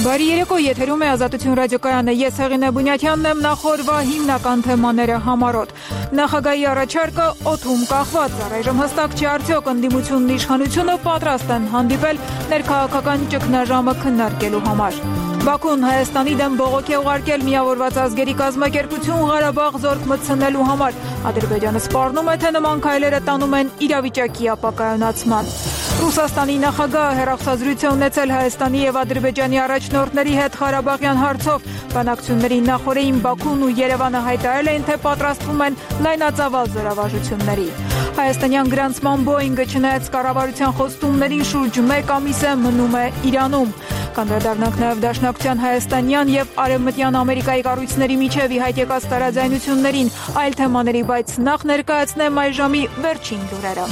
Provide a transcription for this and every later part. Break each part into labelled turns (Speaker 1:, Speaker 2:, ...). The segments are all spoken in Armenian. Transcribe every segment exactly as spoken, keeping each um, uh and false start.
Speaker 1: Բարի երեկո, եթերում է Ազատություն ռադիոկայանը, ես Հեղինե Բունյաթյանն եմ, նախորդ հիմնական թեմաները համառոտ։ Նախագահի առաջարկը օդում կախված, առայժմ հստակ չի արդյոք ընդդիմությունն իշխանությունը պատրաստ են հանդիպել ներքաղաքական ճգնաժամը քննարկելու համար։ Բաքուն Հայաստանի դեմ բողոք է ուղարկել միավորված ազգերի կազմակերպություն Ղարաբաղ զորք մտցնելու համար։ Ադրբեջանը սպառնում է, թե նման քայլերը տանում են իրավիճակի ապակայունացման։ Ռուսաստանի նախագահը հեռախոսազրույց է ունեցել Հայաստանի և Ադրբեջանի առաջնորդների հետ Ղարաբաղյան հարցով։ Բանակցությունների նախօրեին Բաքուն ու Երևանը հայտարարել էին, թե պատրաստվում են լայնածավալ զորավարժությունների։ Հայաստանյան գրանցման Բոինգը չնայած կառավարության խոստումներին շուրջ մեկ ամիս է մնում է Իրանում։ Կանդրադառնանք նաև Դաշնակցության հայաստանյան և արևմտյան Ամերիկայի կառույցների միջև ի հայտ եկած տարաձայնություններին, այլ թեմաների, բայց նախ ներկայացնեմ այս ժամի վերջին լուրերը։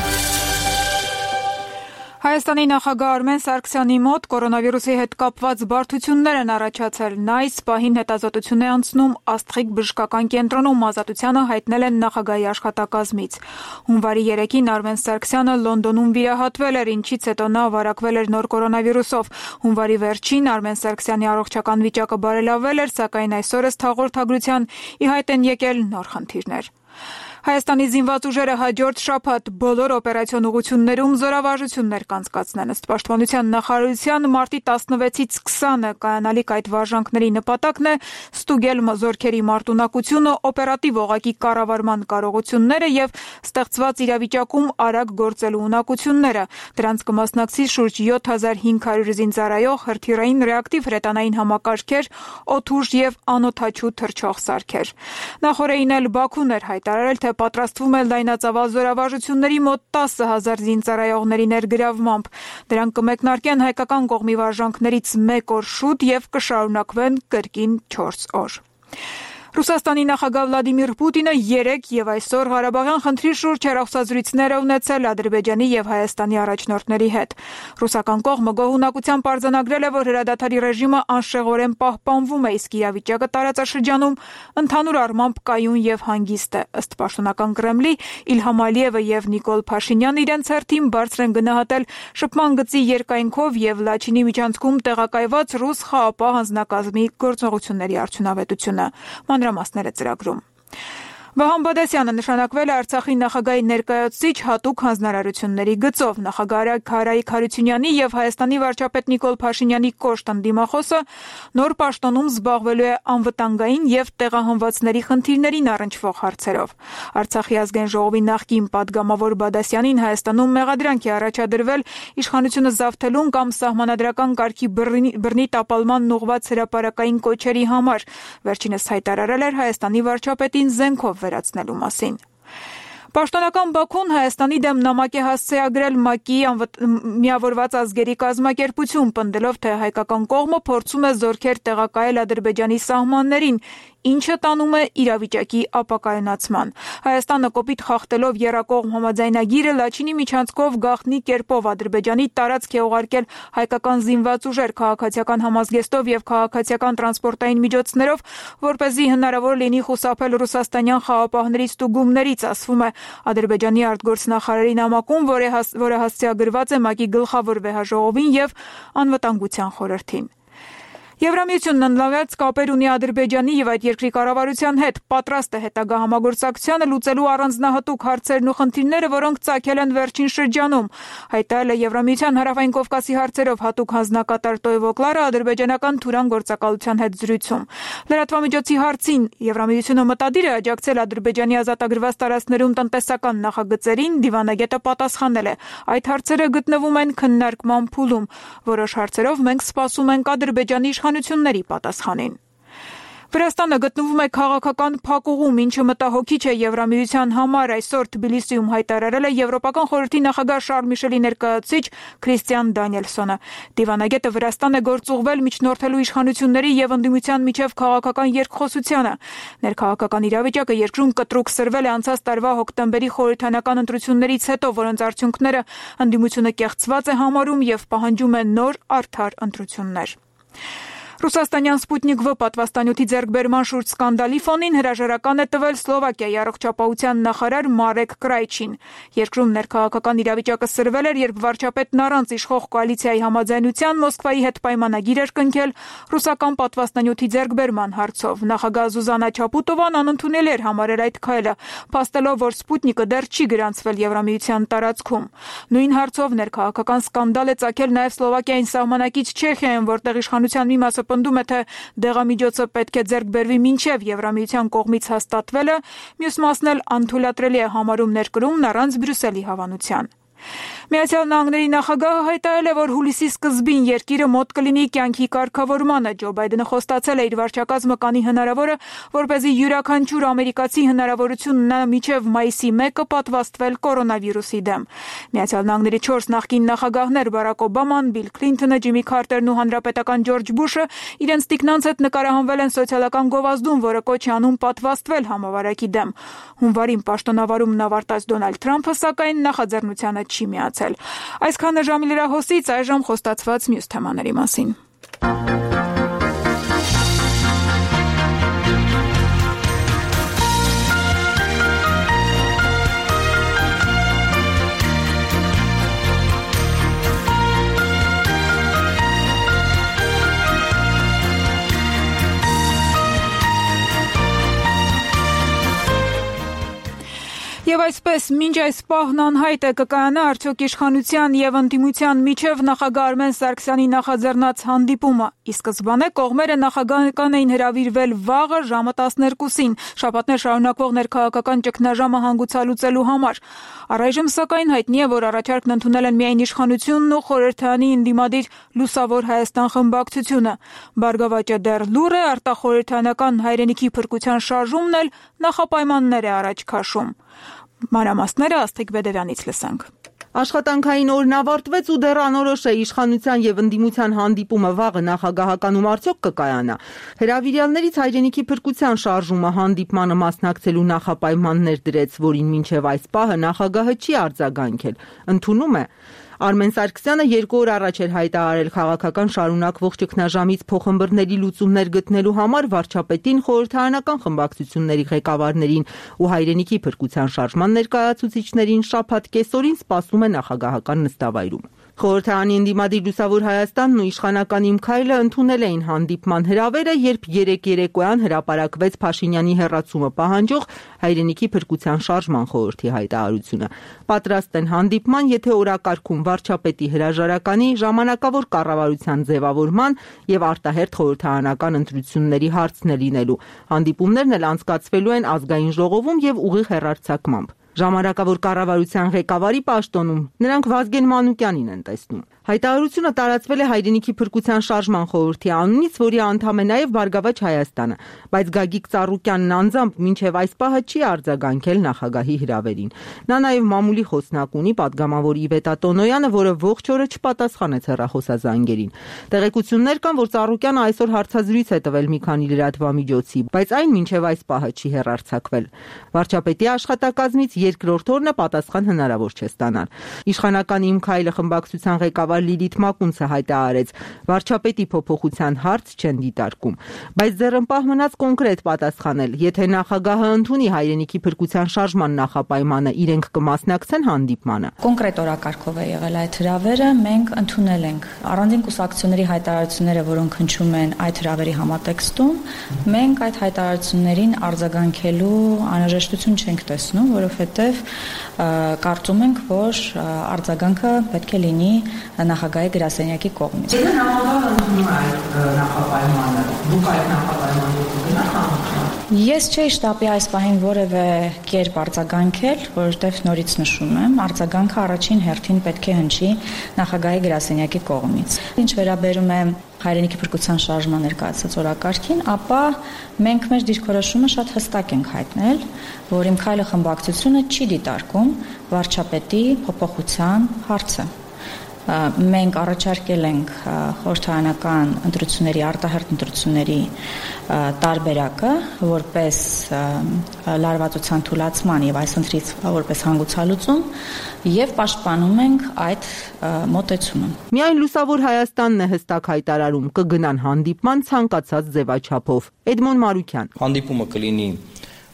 Speaker 1: Հայաստանի նախագահ Արմեն Սարգսյանի մոտ կորոնավիրուսի հետ կապված բարդություններ են առաջացել։ Նա այս պահին հետազոտություն է անցնում Աստղիկ բժշկական կենտրոնում, ազատությանը հայտնել են նախագահի աշխատակազմից։ Հունվարի երեքին Արմեն Սարգսյանը Լոնդոնում վիրահատվել էր, ինչից հետո նա վարակվել էր նոր կորոնավիրուսով։ Հունվարի վերջին Արմեն Սարգսյանի առողջական վիճակը բարելավվել էր, սակայն այսօր ըստ հաղորդագրության ի հայտ են եկել նոր խնդիրներ։ Հայաստանի զինված ուժերը հաջորդ շաբաթ բոլոր օպերացիոն ուղղություններում զորավարժություններ կանցկացնեն։ Ըստ Պաշտպանության նախարարության մարտի տասնվեցից քսանը կայանալիք այդ վարժանքների նպատակն է ստուգել զորքերի մարտունակությունը, օպերատիվ օղակի կառավարման կարողությունները եւ ստեղծված իրավիճակում արագ գործելու ունակությունները։ Դրանց կմասնակցի շուրջ յոթ հազար հինգ հարյուր զինծառայող, հրթիռային ռեակտիվ հրետանային համակարգեր, օդուժ եւ անօդաչու թռչող սարքեր։ Նախորդին էլ Բաքուն էր հայտարարել, թե պատրաստվում է լայնածավալ զորավարժությունների մոտ տասը հազար զինծառայողների ներգրավմամբ։ Դրանք կմեկնարկեն հայկական կողմի վարժանքներից մեկ օր շուտ եւ կշարունակվեն կրկին չորս օր։ Ռուսաստանի նախագահ Վլադիմիր Պուտինը երեկ եւ այսօր Ղարաբաղյան խնդրի շուրջ հեռախոսազրույցներ է ունեցել Ադրբեջանի եւ Հայաստանի առաջնորդների հետ։ Ռուսական կողմը գոհունակությամբ արձանագրել է, որ հրադադարի ռեժիմը անշեղորեն պահպանվում է, իսկ իրավիճակը տարածաշրջանում ընդհանուր առմամբ կայուն եւ հանգիստ է։ Ըստ պաշտոնական Կրեմլի, Իլհամ Ալիևը եւ Նիկոլ Փաշինյանը իրենց հերթին բարձր են գնահատել շփման գծի երկայնքով եւ Լաչինի միջանցքում տեղակայված ռուս խաղապահ հանձնակազմի գործողությունների արդյունավետությունը։ Մանրամասները ծրագրում։ Վահան Բադասյանը նշանակվել է Արցախի նախագահի ներկայացուցիչ հատուկ հանձնարարությունների գծով։ Նախագահ Հարայիկ Հարությունյանի եւ Հայաստանի վարչապետ Նիկոլ Փաշինյանի կոշտ ընդդիմախոսը նոր պաշտոնում զբաղվելու է անվտանգային եւ տեղահանվածների խնդիրներին առնչվող հարցերով։ Արցախի ազգային ժողովի նախկին падգամավոր Բադասյանին Հայաստանում մեղադրանք է առաջադրվել իշխանությունը զավթելուն կամ սահմանադրական կարգի բռնի տապալման ուղղված հրապարակային կոչերի համար։ Վերջինս հայտարարել էր Հայաստանի վարչապետին զենքով վերացնելու մասին։ Պաշտոնական Բաքուն Հայաստանի դեմ նամակ է հասցեագրել ՄԱԿ-ի միավորված ազգերի կազմակերպություն, պնդելով, թե հայկական կողմը փորձում է զորքեր տեղակայել Ադրբեջանի սահմաններին, ինչը տանում է իրավիճակի ապակայունացման։ Հայաստանը կոպիտ խախտելով եռակողմ համաձայնագիրը Լաչինի միջանցքով գաղտնի կերպով Ադրբեջանի տարածք է ուղարկել հայկական զինված ուժեր քաղաքացիական համազգեստով եւ քաղաքացիական տրանսպորտային միջոցներով, որպեսզի հնարավոր լինի խուսափել ռուսաստանյան խաղապահների ստուգումներից, ասվում է Ադրբեջանի արտգործնախարարի նամակում, որը հասցեագրված է ՄԱԿ-ի գլխավոր վեհաժողովին եւ անվտանգության խորհրդին։ Եվրամիությունն ընդլայնված կապեր ունի Ադրբեջանի եւ այդ երկրի կառավարության հետ, պատրաստ է հետագա համագործակցությանը լուծելու առանձնահատուկ հարցերն ու խնդիրները, որոնք ծագել են վերջին շրջանում, հայտարարել է Եվրամիության հարավային Կովկասի հարցերով հատուկ հանձնակատար Տոյվո Կլարը ադրբեջանական Թուրան գործակալության հետ զրույցում։ Լրատվամիջոցի հարցին Եվրամիությունը մտադիր է աջակցել Ադրբեջանի ազատագրված տարածքներում տնտեսական նախագծերին, դիվանագետը պատասխանել է. այդ հարցերը գտնվում են քննարկման փուլում։ Որոշ հարցերով մենք սպասում ենք Ադրբեջանի իշխանությունների պատասխանին։ Վրաստանը գտնվում է քաղաքական փակուղում, ինչը մտահոգիչ է Եվրամիության համար, այսօր Թբիլիսիում հայտարարել է Եվրոպական խորհրդի նախագահ Շարլ Միշելի ներկայացուցիչ Քրիստիան Դանիելսոնը։ Դիվանագետը Վրաստան է գործուղվել միջնորդելու իշխանությունների եւ ընդդիմության միջև քաղաքական երկխոսությանը։ Ներքաղաքական իրավիճակը երկրում կտրուկ սրվել է անցած տարվա հոկտեմբերի խորհրդանական ընտրություններից հետո, որոնց արդյունքները ընդդիմությունը կեղծված է համարում եւ պահանջում է նոր արդար ընտրություններ։ Ռուսաստանյան Սպուտնիկ V պատվաստանյութի ձեռքբերման շուրջ սկանդալի ֆոնին հրաժարական է տվել Սլովակիայի առողջապահության նախարար Մարեկ Կրայչին։ Երկրում ներքաղաքական իրավիճակը սրվել էր, երբ վարչապետն առանց իշխող կոալիցիայի համաձայնության Մոսկվայի հետ պայմանագիր էր կնքել ռուսական պատվաստանյութի ձեռքբերման հարցով։ Նախագահ Զուզանա Չապուտովան անընդունել էր համարել այդ քայլը, փաստելով, որ Սպուտնիկը դեռ չի գրանցվել Եվրամիության տարածքում։ Նույն հարցով ներքաղաքական սկանդալ է ծագել նաև Սլովակիային սահմանակից Չեխիայում, որտեղ իշխանության մի մասը պնդում է, թե դեղամիջոցը պետք է ձեռք բերվի մինչև Եվրամիության կողմից հաստատվելը, մյուս մասն էլ անթույլատրելի է համարում ներկրումն առանց Բրյուսելի հավանության։ Միացյալ Նահանգների նախագահը հայտարարել է, որ հուլիսի սկզբին երկիրը մոտ կլինի կյանքի կարգավորմանը։ Ջո Բայդենը խոստացել է իր վարչակազմը կանի հնարավորը, որպեսզի յուրաքանչյուր ամերիկացի հնարավորություն ունենա մինչև մայիսի մեկը պատվաստվել կորոնավիրուսի դեմ։ Միացյալ Նահանգների չորս նախկին նախագահներ Բարակ Օբաման, Բիլ Քլինթոնը, Ջիմի Քարտերն ու հանրապետական Ջորջ Բուշը իրենց տիկնանց հետ նկարահանվել են սոցիալական գովազդում, որը կոչ է անում պատվաստվել համավարակի դեմ։ Հունվարին պաշտոնավարումն ավարտած Դոնալդ Թրամփը սակայն նախաձեռնությանը չի միացել։ Այսքանը ժամի լրահոսից, այժմ խոստացված մյուս թեմաների մասին։ Եվ այսպես, մինչ այս պահն անհայտ է կկայանա արդյոք իշխանության եւ ընդդիմության միջև նախագահ Արմեն Սարգսյանի նախաձեռնած հանդիպումը։ Ի սկզբանե կողմերը նախագահական էին հրավիրվել վաղը ժամը տասներկուսին, շաբաթներ շարունակվող ներքաղաքական ճգնաժամը հանգուցալուծելու համար։ Առայժմ սակայն հայտնի է, որ առաջարկն ընդունել են միայն իշխանությունն ու խորհրդարանի ընդդիմադիր Լուսավոր Հայաստան խմբակցությունը։ Բարգավաճը դեռ լուռ է, արտախորհրդարանական հայրենիքի փրկության շարժումն էլ նախապայմաններ է առաջ քաշում։ Մանրամասները Աստղիկ Բեդևյանից լսենք։
Speaker 2: Աշխատանքային օրն ավարտվեց ու դեռ անորոշ է իշխանության եւ ընդդիմության հանդիպումը վաղը նախագահականում արդյոք կկայանա։ Հրավիրյալներից հայրենիքի փրկության շարժումը հանդիպմանը մասնակցելու նախապայմաններ դրեց, որին մինչև այս պահը նախագահը չի արձագանքել։ Ընդունում է։ Արմեն Սարգսյանը երկու օր առաջ էր հայտարարել քաղաքական շարունակվող ճգնաժամից փոխհմբռնելի լուծումներ գտնելու համար վարչապետին, խորհրդարանական խմբակցությունների ղեկավարներին ու հայրենիքի փրկության շարժման ներկայացուցիչներին շաբաթ կեսօրին սպասում է նախագահական նստավայրում։ Խորհրդարանի ընդդիմադիր Լուսավոր Հայաստանն ու իշխանական Իմ քայլը ընդունել էին հանդիպման հրավերը, երբ երեկ երեկոյան հրապարակվեց Փաշինյանի հեռացումը պահանջող հայրենիքի փրկության շարժման խորհրդի հայտարարությունը։ Պատրաստ են հանդիպման, եթե օրակարգում վարչապետի հրաժարականի, ժամանակավոր կառավարության ձևավորման եւ արտահերթ խորհրդարանական ընտրությունների հարցն է լինելու։ Հանդիպումներն էլ անցկացվելու են ազգային ժողովում եւ ուղիղ հեռարձակմամբ։ Ժամանակավոր կառավարության ղեկավարի պաշտոնում նրանք Վազգեն Մանուկյանին են տեսնում։ Հայտարարությունը տարածվել է հայրենիքի փրկության շարժման խորհրդի անունից, որի անդամ է նաև Բարգավաճ Հայաստանը, բայց Գագիկ Ծառուկյանն անձամբ մինչև այս պահը չի արձագանքել նախագահի հրավերին։ Նա նաև մամուլի խոսնակ ունի պատգամավոր Իվետա Տոնոյանը, որը ողջ օրը չպատասխանեց հեռախոսազանգերին։ Տեղեկություններ կան, որ Ծառուկյանը այսօր հարցազրույց է տվել մի քանի լրատվամիջոցի, բայց այն մինչև այս պահը չի հեռարձակվել։ Վարչապետի աշխատակազմից երկրորդ օրն է պատասխան հնարավոր չէ ստանալ։ Իշխանական Իմ քայլը խմբակցության ղեկավար Լիլիթ Մակունցը հայտարարեց, վարչապետի փոփոխության հարց չեն դիտարկում, բայց ձեռնպահ մնաց կոնկրետ պատասխանել, եթե նախագահը ընդունի հայրենիքի փրկության շարժման նախապայմանը, իրենք կմասնակցեն հանդիպմանը։
Speaker 3: Կոնկրետ օրակարգով է եղել այդ հրավերը, մենք ընդունել ենք առանձին կուսակցությունների հայտարարությունները, որոնք հնչում են այդ հրավերի համատեքստում, մենք այդ հայտարարություններին արձագանքելու անհրաժեշտություն չենք տեսնում, որովհետև կարծում ենք, որ արձագանքը պետք է լինի նախագահի գրասենյակի կողմից։
Speaker 2: Եթե նախագահը ընդունում է այդ նախապայմանը, դուք այդ նախապայմանը կգնաք։
Speaker 3: Ես չէի շտապի այս պահին որևէ կերպ արձագանքել, որովհետև նորից նշում եմ, արձագանքը առաջին հերթին պետք է հնչի նախագահի գրասենյակի կողմից։ Ինչ վերաբերում է հայրենիքի փրկության շարժման ներկայացած օրակարգին, ապա մենք մեր դիրքորոշումը շատ հստակ ենք հայտնել, որ Իմ քայլը խմբակցությունը չի դիտարկում վարչապետի փոփոխության հարցը։ մենք առաջարկել ենք խորհրդարանական ընտրությունների, արտահերթ ընտրությունների տարբերակը որպես լարվածության թույլատման եւ այս ընտրից որպես հանգուցալուծում եւ պաշտպանում ենք այդ մոտեցումը։
Speaker 2: Միայն Լուսավոր Հայաստանն է հստակ հայտարարում կգնան հանդիպման ցանկացած ձևաչափով։ Էդմոն Մարուկյան.
Speaker 4: Հանդիպումը կլինի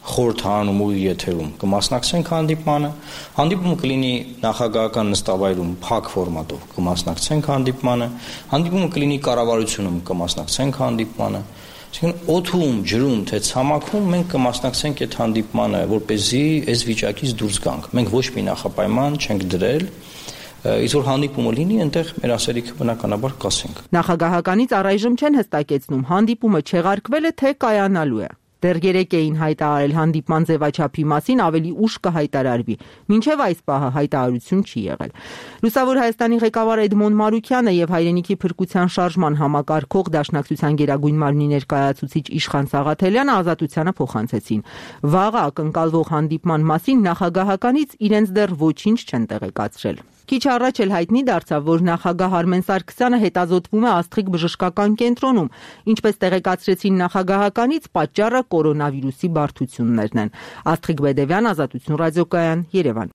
Speaker 4: խորհրդարանում ու եթերում կմասնակցենք հանդիպմանը, հանդիպումը կլինի նախագահական նստավայրում փակ ֆորմատով կմասնակցենք հանդիպմանը, հանդիպումը կլինի կառավարությունում կմասնակցենք հանդիպմանը, այսինքն օդում, ջրում, թե ցամաքում մենք կմասնակցենք այդ հանդիպմանը, որպեսզի այս վիճակից դուրս գանք։ Մենք ոչ մի նախապայման չենք դրել, իսկ որ հանդիպումը լինի, այնտեղ մեր ասելիքը բնականաբար կասենք։
Speaker 2: Նախագահականից առայժմ չեն հստակեցնում հանդիպումը չեղարկվել է թե կայանալու է։ Դեռ երեկ էին հայտարարել հանդիպման ձևաչափի մասին, ավելի ուշ կհայտարարվի, մինչև այս պահը հայտարարություն չի եղել։ Լուսավոր Հայաստանի ղեկավար Էդմոն Մարուկյանը եւ Հայրենիքի փրկության շարժման համակարգող Դաշնակցության գերագույն մարմնի ներկայացուցիչ Իշխան Սաղաթելյանը ազատությանը փոխանցեցին։ Վաղը ակնկալվող հանդիպման մասին նախագահականից իրենց դեռ ոչինչ չեն տեղեկացրել։ Քիչ առաջ էլ հայտնի դարձավ, որ նախագահ Արմեն Սարգսյանը հետազոտվում է Աստղիկ բժշկական կենտրոնում, ինչպես տեղեկացրեցին նախագահականից, պատճառը կորոնավիրուսի բարդություններն են։ Աստղիկ Բեդևյան, Ազատություն ռադիոկայան, Երևան։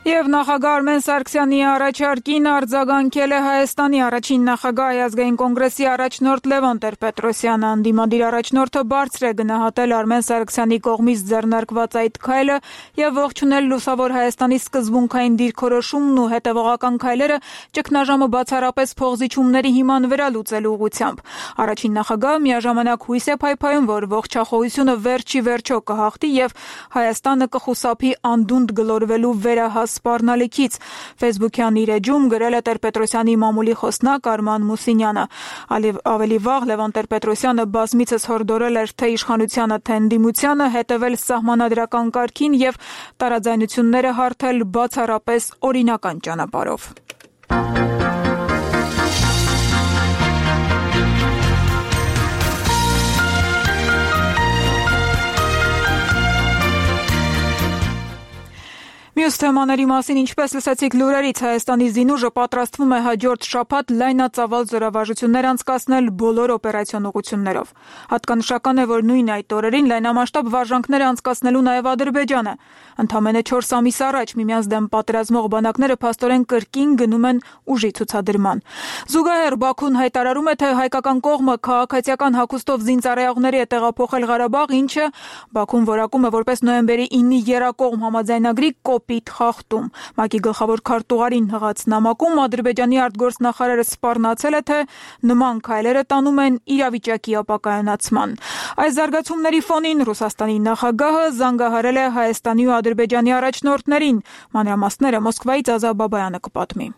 Speaker 1: Եվ նախագահ Արմեն Սարգսյանի առաջարկին արձագանքել է Հայաստանի առաջին նախագահ Ազգային կոնգրեսի առաջնորդ Լևոն Տեր-Պետրոսյանը։ Անդիմադիր առաջնորդը բարձր է գնահատել Արմեն Սարգսյանի կողմից ձեռնարկված այդ քայլը եւ ողջունել Լուսավոր Հայաստանի սկզբունքային դիրքորոշումն ու հետևողական քայլերը ճգնաժամը բացառապես փողզիչումների հիման վրա լուծելու ուղղությամբ։ Առաջին նախագահը միաժամանակ հույս է փայփայում, որ ողջախոհությունը վերջի վերջո կհաղթի եւ Հայաստանը կխուսափի անդունդ գլորվելու վերահաս սպառնալիքից։ Facebook-յան իր էջում գրել է Տեր-Պետրոսյանի մամուլի խոսնակ Արման Մուսինյանը։ Ավելի վաղ Լևոն Տեր-Պետրոսյանը բազմիցս հորդորել էր թե իշխանությանը, թե ընդդիմությանը հետևել սահմանադրական կարգին եւ տարաձայնությունները հարթել բացառապես օրինական ճանապարհով։ Մյուս թեմաների մասին, ինչպես լսեցիք լուրերից, Հայաստանի զինուժը պատրաստվում է հաջորդ շաբաթ լայնածավալ զորավարժություններ անցկացնել բոլոր օպերացիոն ուղղություններով։ Հատկանշական է, որ նույն այդ օրերին լայնամասշտաբ վարժանքներ անցկացնելու նաև Ադրբեջանը։ Ընդամենը չորս ամիս առաջ միմյանց դեմ պատերազմող բանակները փաստորեն կրկին գնում են ուժի ցուցադրման։ Զուգահեռ Բաքուն հայտարարում է, թե հայկական կողմը քաղաքացիական հագուստով զինծառայողների է տեղափոխել Ղարաբաղ, ինչը Բաքուն որակում է որպես նոյեմբերի իննի եռակողմ համաձայնագրի կոպիտ խախտում։ ՄԱԿ-ի գլխավոր քարտուղարին հղած նամակում Ադրբեջանի արտգործնախարարը սպառնացել է, թե նման քայլերը տանում են իրավիճակի ապակայունացման։ Այս զարգացումների ֆոնին Ռուսաստանի նախագահը զանգահարել է Հայաստանի ու Ադրբեջանի առաջնորդներին։ Մանրամասները Մոսկվայից Ազա Բաբայանը կպատմի։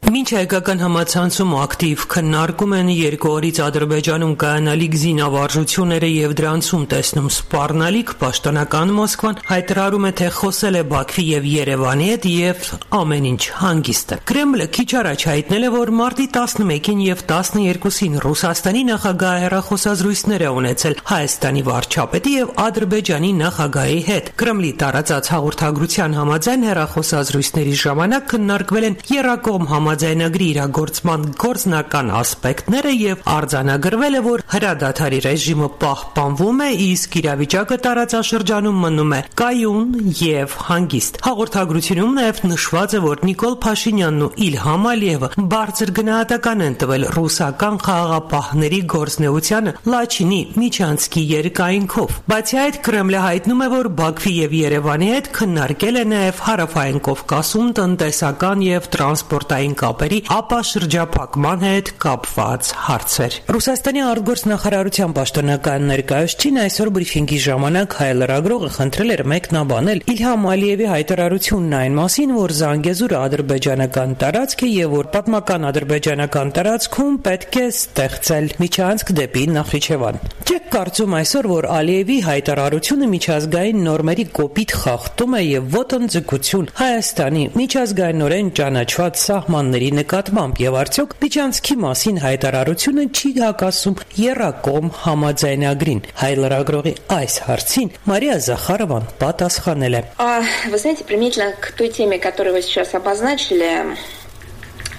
Speaker 5: Մինչ հայկական համացանցում ակտիվ քննարկում են երկու օրից Ադրբեջանում կայանալիք զինավարժությունները եւ դրանցում տեսնում սպառնալիք, պաշտոնական Մոսկվան հայտարարում է, թե խոսել է Բաքվի եւ Երևանի հետ եւ ամեն ինչ հանգիստ է։ Կրեմլը քիչ առաջ հայտնել է, որ մարտի տասնմեկին եւ տասներկուսին Ռուսաստանի նախագահը հեռախոսազրույցներ է ունեցել Հայաստանի վարչապետի եւ Ադրբեջանի նախագահի հետ։ Կրեմլի տարածած հաղորդագրության համաձայն հեռախոսազրույցների ժամանակ քննարկվել են եռակողմ համաձայնագրի իրագործման գործնական ասպեկտները եւ արձանագրվել է, որ հրադադարի ռեժիմը պահպանվում է, իսկ իրավիճակը տարածաշրջանում մնում է կայուն եւ հանգիստ։ Հաղորդագրությունում նաեւ նշված է, որ Նիկոլ Փաշինյանն ու Իլհամ Ալիևը բարձր գնահատական են տվել ռուսական խաղաղապահների գործնեությանը Լաչինի միջանցքի երկայնքով։ Բացի այդ, Կրեմլը հայտնում է, որ Բաքվի եւ Երևանի հետ քննարկել է նաեւ Հարավային Կովկասում տնտեսական եւ տրանսպորտային կապերի ապաշրջափակման հետ կապված հարցեր։ Ռուսաստանի արտգործնախարարության պաշտոնական ներկայացուցիչն այսօր բրիֆինգի ժամանակ հայլրագրողը խնդրել էր մեկնաբանել Իլհամ Ալիևի հայտարարությունն այն մասին, որ Զանգեզուրը ադրբեջանական տարածք է եւ որ պատմական ադրբեջանական տարածքում պետք է ստեղծել միջանցք դեպի Նախիջևան։ Չեք կարծում այսօր, որ Ալիևի հայտարարությունը միջազգային նորմերի կոպիտ խախտում է եւ ոտնձգություն Հայաստանի միջազգայինորեն ճանաչված սահմանների նկատմամբ եւ արդյոք միջանցքի մասին հայտարարությունը չի հակասում եռակողմ համաձայնագրին։ Հայ լրագրողի այս հարցին Մարիա Զախարովան պատասխանել է.
Speaker 6: Вы знаете, применительно к той теме, которую вы сейчас обозначили,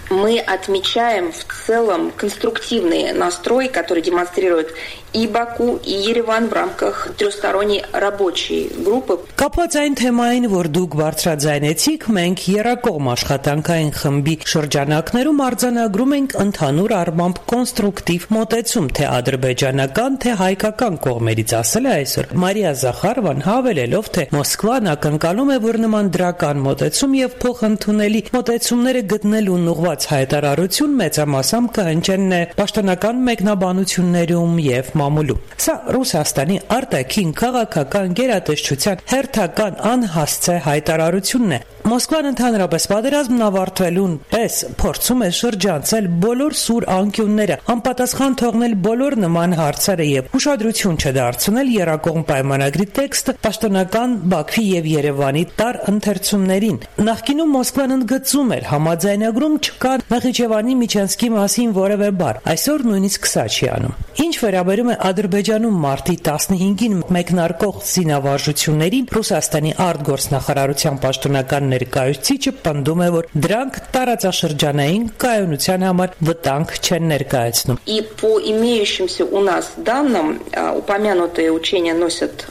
Speaker 6: мы отмечаем в целом конструктивный настрой, который демонстрирует и Баку, и Երևան в рамках трехсторонней рабочей группы.
Speaker 5: Կապված այն թեմային, որ դուք բարձրաձայնեցիք, մենք եռակողմ աշխատանքային խմբի շրջանակներում արձանագրում ենք ընդհանուր առմամբ կոնստրուկտիվ մոտեցում, թե ադրբեջանական, թե հայկական կողմերից, ասել է այսօր Մարիա Զախարովան, հավելելով, թե Մոսկվան ակնկալում է, որ նման դրական մոտեցում եւ փոխընդունելի մոտեցումները գտնելուն ուղղված հայտարարություն մեծամասամբ կհնչեն պաշտոնական մեկնաբանություններում եւ մամուլում։ Սա Ռուսաստանի արտաքին քաղաքական գերատեսչության հերթական անհասցե հայտարարությունն է։ Մոսկվան ընդհանրապես պատերազմն ավարտվելուն պես փորձում է շրջանցել բոլոր սուր անկյունները, անպատասխան թողնել բոլոր նման հարցերը եւ ուշադրություն չդարձնել եռակողմ պայմանագրի տեքստը պաշտոնական Բաքվի եւ Երևանի տար ընթերցումներին։ Նախկինում Մոսկվան ընդգծում էր համաձայնագրում չկա Նախիջևանի Միչանսկի մասին որևէ բառ, այսօր նույնիսկ սա չի անում։ Ինչ վերաբերում է Ադրբեջանում մարտի տասնհինգին մեկնարկող զինավարժություններին, Ռուսաստանի արտգործնախարարության պաշտոնական ներկայացուցիչը պնդում է, որ դրանք տարածաշրջանային կայունության համար վտանգ չեն ներկայացնում։
Speaker 6: И по имеющимся у нас данным, упомянутые учения носят,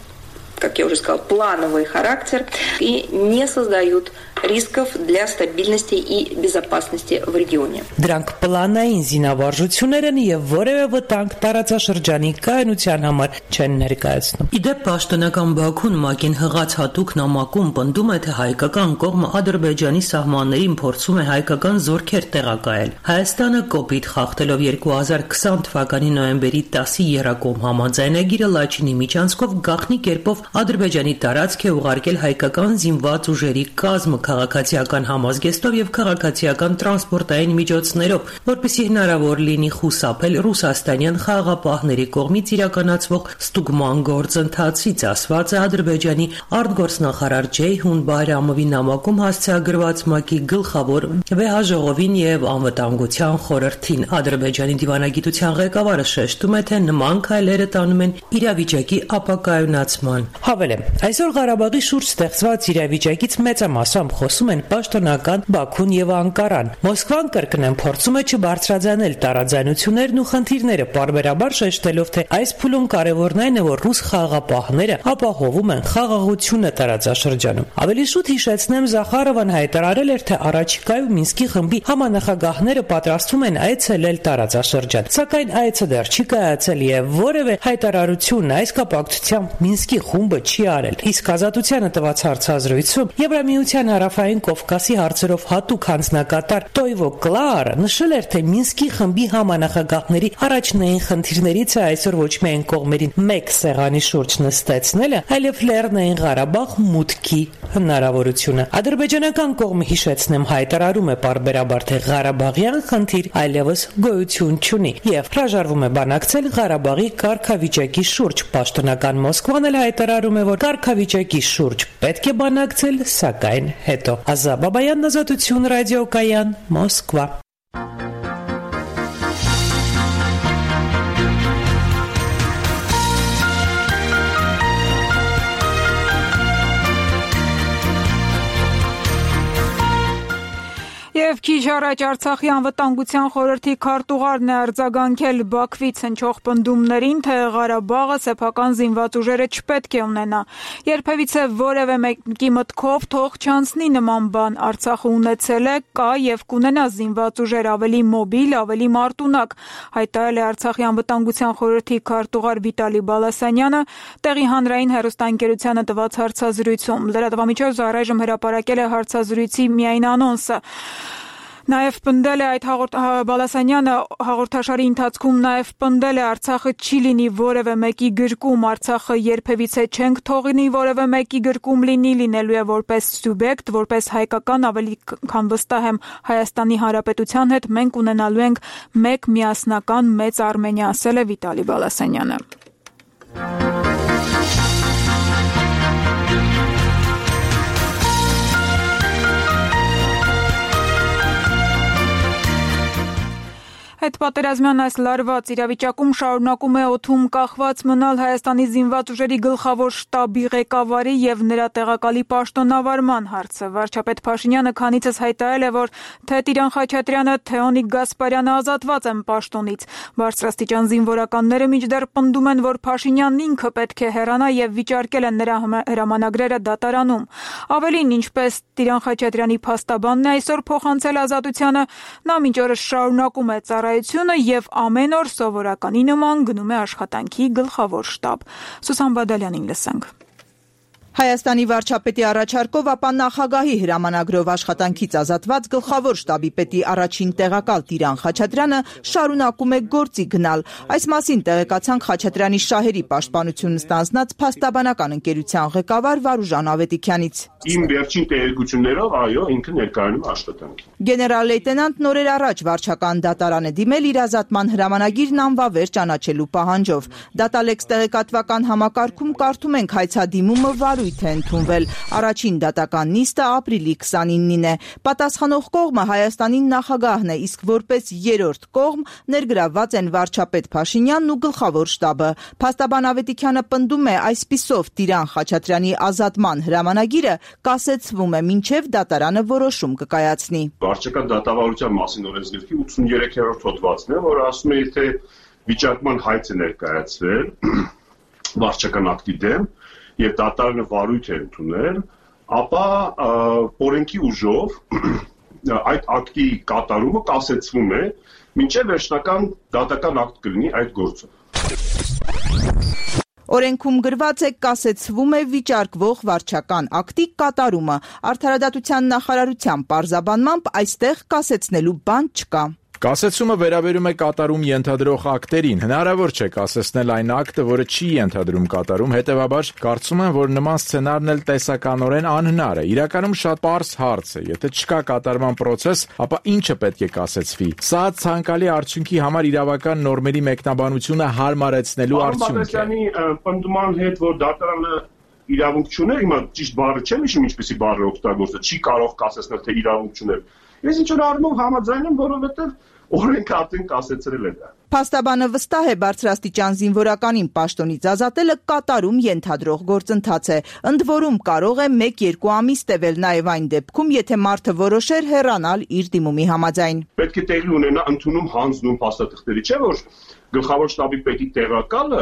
Speaker 6: как я уже сказала, плановый характер и не создают рисков для стабильности и безопасности в регионе.
Speaker 5: Դրանք պլանային զինավարժություններ են եւ որևէ վտանգ տարածաշրջանի կայունության համար չեն ներկայացնում։ Իդեպ պաշտոնական Բաքուն ՄԱԿ-ին հղած հատուկ նամակում պնդում է, թե հայկական կողմը Ադրբեջանի սահմաններին փորձում է հայկական զորքեր տեղակայել։ Հայաստանը կոպիտ խախտելով երկու հազար քսան թվականի նոյեմբերի տասի եռակողմ համաձայնագիրը Լաչինի միջանցքով գաղտնի կերպով Ադրբեջանի տարածք է ուղարկել հայկական զինված ուժերի կազմը քաղաքացիական համազգեստով եւ քաղաքացիական տրանսպորտային միջոցներով, որպեսզի հնարավոր լինի խուսափել ռուսաստանյան խաղաղապահների կողմից իրականացվող ստուգման գործընթացից, ասված է Ադրբեջանի արտգործնախարար Ջեյհուն Բայրամովի նամակում հասցեագրված ՄԱԿ-ի գլխավոր վեհաժողովին եւ անվտանգության խորհրդին։ Ադրբեջանի դիվանագիտության ղեկավարը շեշտում է, թե նման քայլերը տանում են իրավիճակի ապակայունացման։ Հավելեմ, այսօր Ղարաբաղի շուրջ ստեղծված իրավիճակից մեծամասամբ խոսում են պաշտոնական Բաքուն եւ Անկարան։ Մոսկվան կրկնեմ փորձում է չբարձրաձայնել տարաձայնություններն ու խնդիրները, պարբերաբար շեշտելով, թե այս փուլում կարևորն այն է, որ ռուս խաղաղապահները ապահովում են խաղաղությունը տարածաշրջանում։ Ավելի շուտ հիշեցնեմ, Զախարովան հայտարարել էր, թե առաջիկայում Մինսկի խմբի համանախագահները պատրաստվում են այցելել տարածաշրջան։ Սակայն այցը դեռ չի կայացել եւ որևէ հայտարարություն այս կապակցությամբ Մինսկի խումբը չի արել։ Իսկ Ազատությանը տված հարցազրույցում Եվրամիության հարավային Կովկասի հարցերով հատուկ հանձնակատար Տոյվո Կլարը նշել էր, թե Մինսկի խմբի համանախագահների առաջնային խնդիրներից է այսօր ոչ միայն կողմերին մեկ սեղանի շուրջ նստեցնելը, այլև Լեռնային Ղարաբաղ մուտքի հնարավորությունը։ Ադրբեջանական կողմը, հիշեցնեմ, հայտարարում է պարբերաբար, թե Ղարաբաղյան խնդիր այլևս գոյություն չունի եւ հրաժարվում է բանակցել Ղարաբաղի կարգավիճակի շուրջ։ Պաշտոնական Մոսկվան էլ հայտարարում է, որ կարգավիճակի շուրջ պետք է բանակցել, սակայն հետո։ Ազա Բաբայան, Ազատություն ռադիոկայան, Մոսկվա։
Speaker 1: Եվ քիչ առաջ Արցախի անվտանգության խորհրդի քարտուղարն է արձագանքել Բաքվից հնչող պնդումներին, թե Ղարաբաղը սեփական զինված ուժերը չպետք է ունենա։ Երբևիցե որևէ մեկի մտքով թող չանցնի նման բան, Արցախը ունեցել է, կա եւ կունենա զինված ուժեր ավելի մոբիլ, ավելի մարտունակ, հայտարարել է Արցախի անվտանգության խորհրդի քարտուղար Վիտալի Բալասանյանը տեղի հանրային հեռուստաընկերությանը տված հարցազրույցում։ Լրատվամիջոցը առայժմ հրապարակել է հարցազրույցի միայն անոնսը։ Նաև պնդել է այդ Բալասանյանը հաղորդաշարի ընթացքում նաև պնդել է Արցախը չի լինի որևէ մեկի գրկում, Արցախը երբևիցե չենք թողնի որևէ մեկի գրկում լինի, լինելու է որպես սուբյեկտ, որպես հայկական, ավելի քան վստահ եմ Հայաստանի Հանրապետության հետ մենք ունենալու ենք մեկ միասնական մեծ Արմենիա, ասել է Վիտալի Բալասանյանը։ Հետպատերազմյան այս լարված իրավիճակում շարունակում է օդում կախված մնալ Հայաստանի զինված ուժերի գլխավոր շտաբի ղեկավարի եւ նրա տեղակալի պաշտոնավարման հարցը։ Վարչապետ Փաշինյանը քանիցս հայտարարել է, որ թե Տիրան Խաչատրյանը, թե Օնիկ Գասպարյանը ազատված են պաշտոնից։ Բարձրաստիճան զինվորականները մինչդեռ պնդում են, որ Փաշինյանն ինքը պետք է հեռանա եւ վիճարկել են նրա հրամանագրերը դատարանում։ Ավելին, ինչպես Տիրան Խաչատրյանի փաստաբանն է այսօր փոխանցել Ազատությանը, նա մինչ օրս շարունակում է ծառայությունը եւ ամեն օր սովորականի նման գնում է աշխատանքի գլխավոր շտաբ։ Սուսան Բադալյանին լսենք։
Speaker 7: Հայաստանի վարչապետի առաջարկով, ապա նախագահի հրամանագրով աշխատանքից ազատված գլխավոր շտաբի պետի առաջին տեղակալ Տիրան Խաչատրյանը շարունակում է գործի գնալ։ Այս մասին տեղեկացանք Խաչատրյանի շահերի պաշտպանությունն ստանձնած փաստաբանական ընկերության ղեկավար Վարուժան Ավետիքյանից։
Speaker 8: Իմ վերջին տեղեկություններով, այո, ինքը ներկայանում է աշխատանքի։
Speaker 7: Գեներալ լեյտենանտ նորեր առաջ վարչական դատարան է դիմել իր ազատման հրամանագիրն անվավեր ճանաչելու պահանջով։ Դատալեքս տեղեկատվական համակարգում կարդում ենք հայցադիմումը վարույթ է ընդունվել։ Առաջին դատական նիստը ապրիլի քսանինին է։ Պատասխանող կողմը Հայաստանի նախագահն է, իսկ որպես երրորդ կողմ ներգրավված են վարչապետ Փաշինյանն ու գլխավոր շտաբը։ Փաստաբան Ավետիքյանը պնդում է, այսպիսով Տիրան Խաչատրյանի ազատման հրամանագիրը կասեցվում է, մինչև դատարանը որոշում կկայացնի։
Speaker 8: Վարչական դատավարության մասին օրենսգրքի ութսուներեքերորդ հոդվածն է, որը ասում է, եթե վիճակման հայց է ներկայացվել վարչական ակտի դեմ եւ դատարանը վարույթ է ընդունել, ապա օրենքի ուժով այդ ակտի կատարումը կասեցվում է, մինչև վերջնական դատական ակտ կլինի այդ գործով։
Speaker 7: Օրենքում գրված է կասեցվում է վիճարկվող վարչական ակտի կատարումը։ Արդարադատության նախարարության պարզաբանմամբ այստեղ կասեցնելու բան չկա։
Speaker 9: Կասեցումը վերաբերում է կատարում ենթադրող ակտերին։ Հնարավոր չէ կասեցնել այն ակտը, որը չի ենթադրում կատարում, հետևաբար կարծում եմ, որ նման սցենարն էլ տեսականորեն անհնար է։ Իրականում շատ պարզ հարց է։ Եթե չկա կատարման պրոցես, ապա ինչը պետք է կասեցվի։ Սա ցանկալի արդյունքի համար իրավական նորմերի մեկնաբանությունը հարմարեցնելու արդյունք է։
Speaker 8: Պնդման հետ, որ դատարանը իրավունք չուներ, հիմա ճիշտ բառը չեմ հիշում, ինչպեսի բառ է օգտագործել, չի կարող կասեցնել, թե իրավունք չուներ։ Ես ինչ որ առումով համաձայն եմ, որովհետև օրենքը արդեն կասեցրել է դա։
Speaker 7: Փաստաբանը վստահ է, բարձրաստիճան զինվորականին պաշտոնից ազատելը կատարում ենթադրող գործընթաց է։ Ընդ որում կարող է մեկ-երկու ամիս տևել նաև այն դեպքում, եթե մարդը որոշեր հեռանալ իր դիմումի համաձայն։
Speaker 8: Պետք է տեղի ունենա ընդունում հանձնում փաստաթղթերի, չէ՞ որ գլխավոր շտաբի պետի տեղակալը,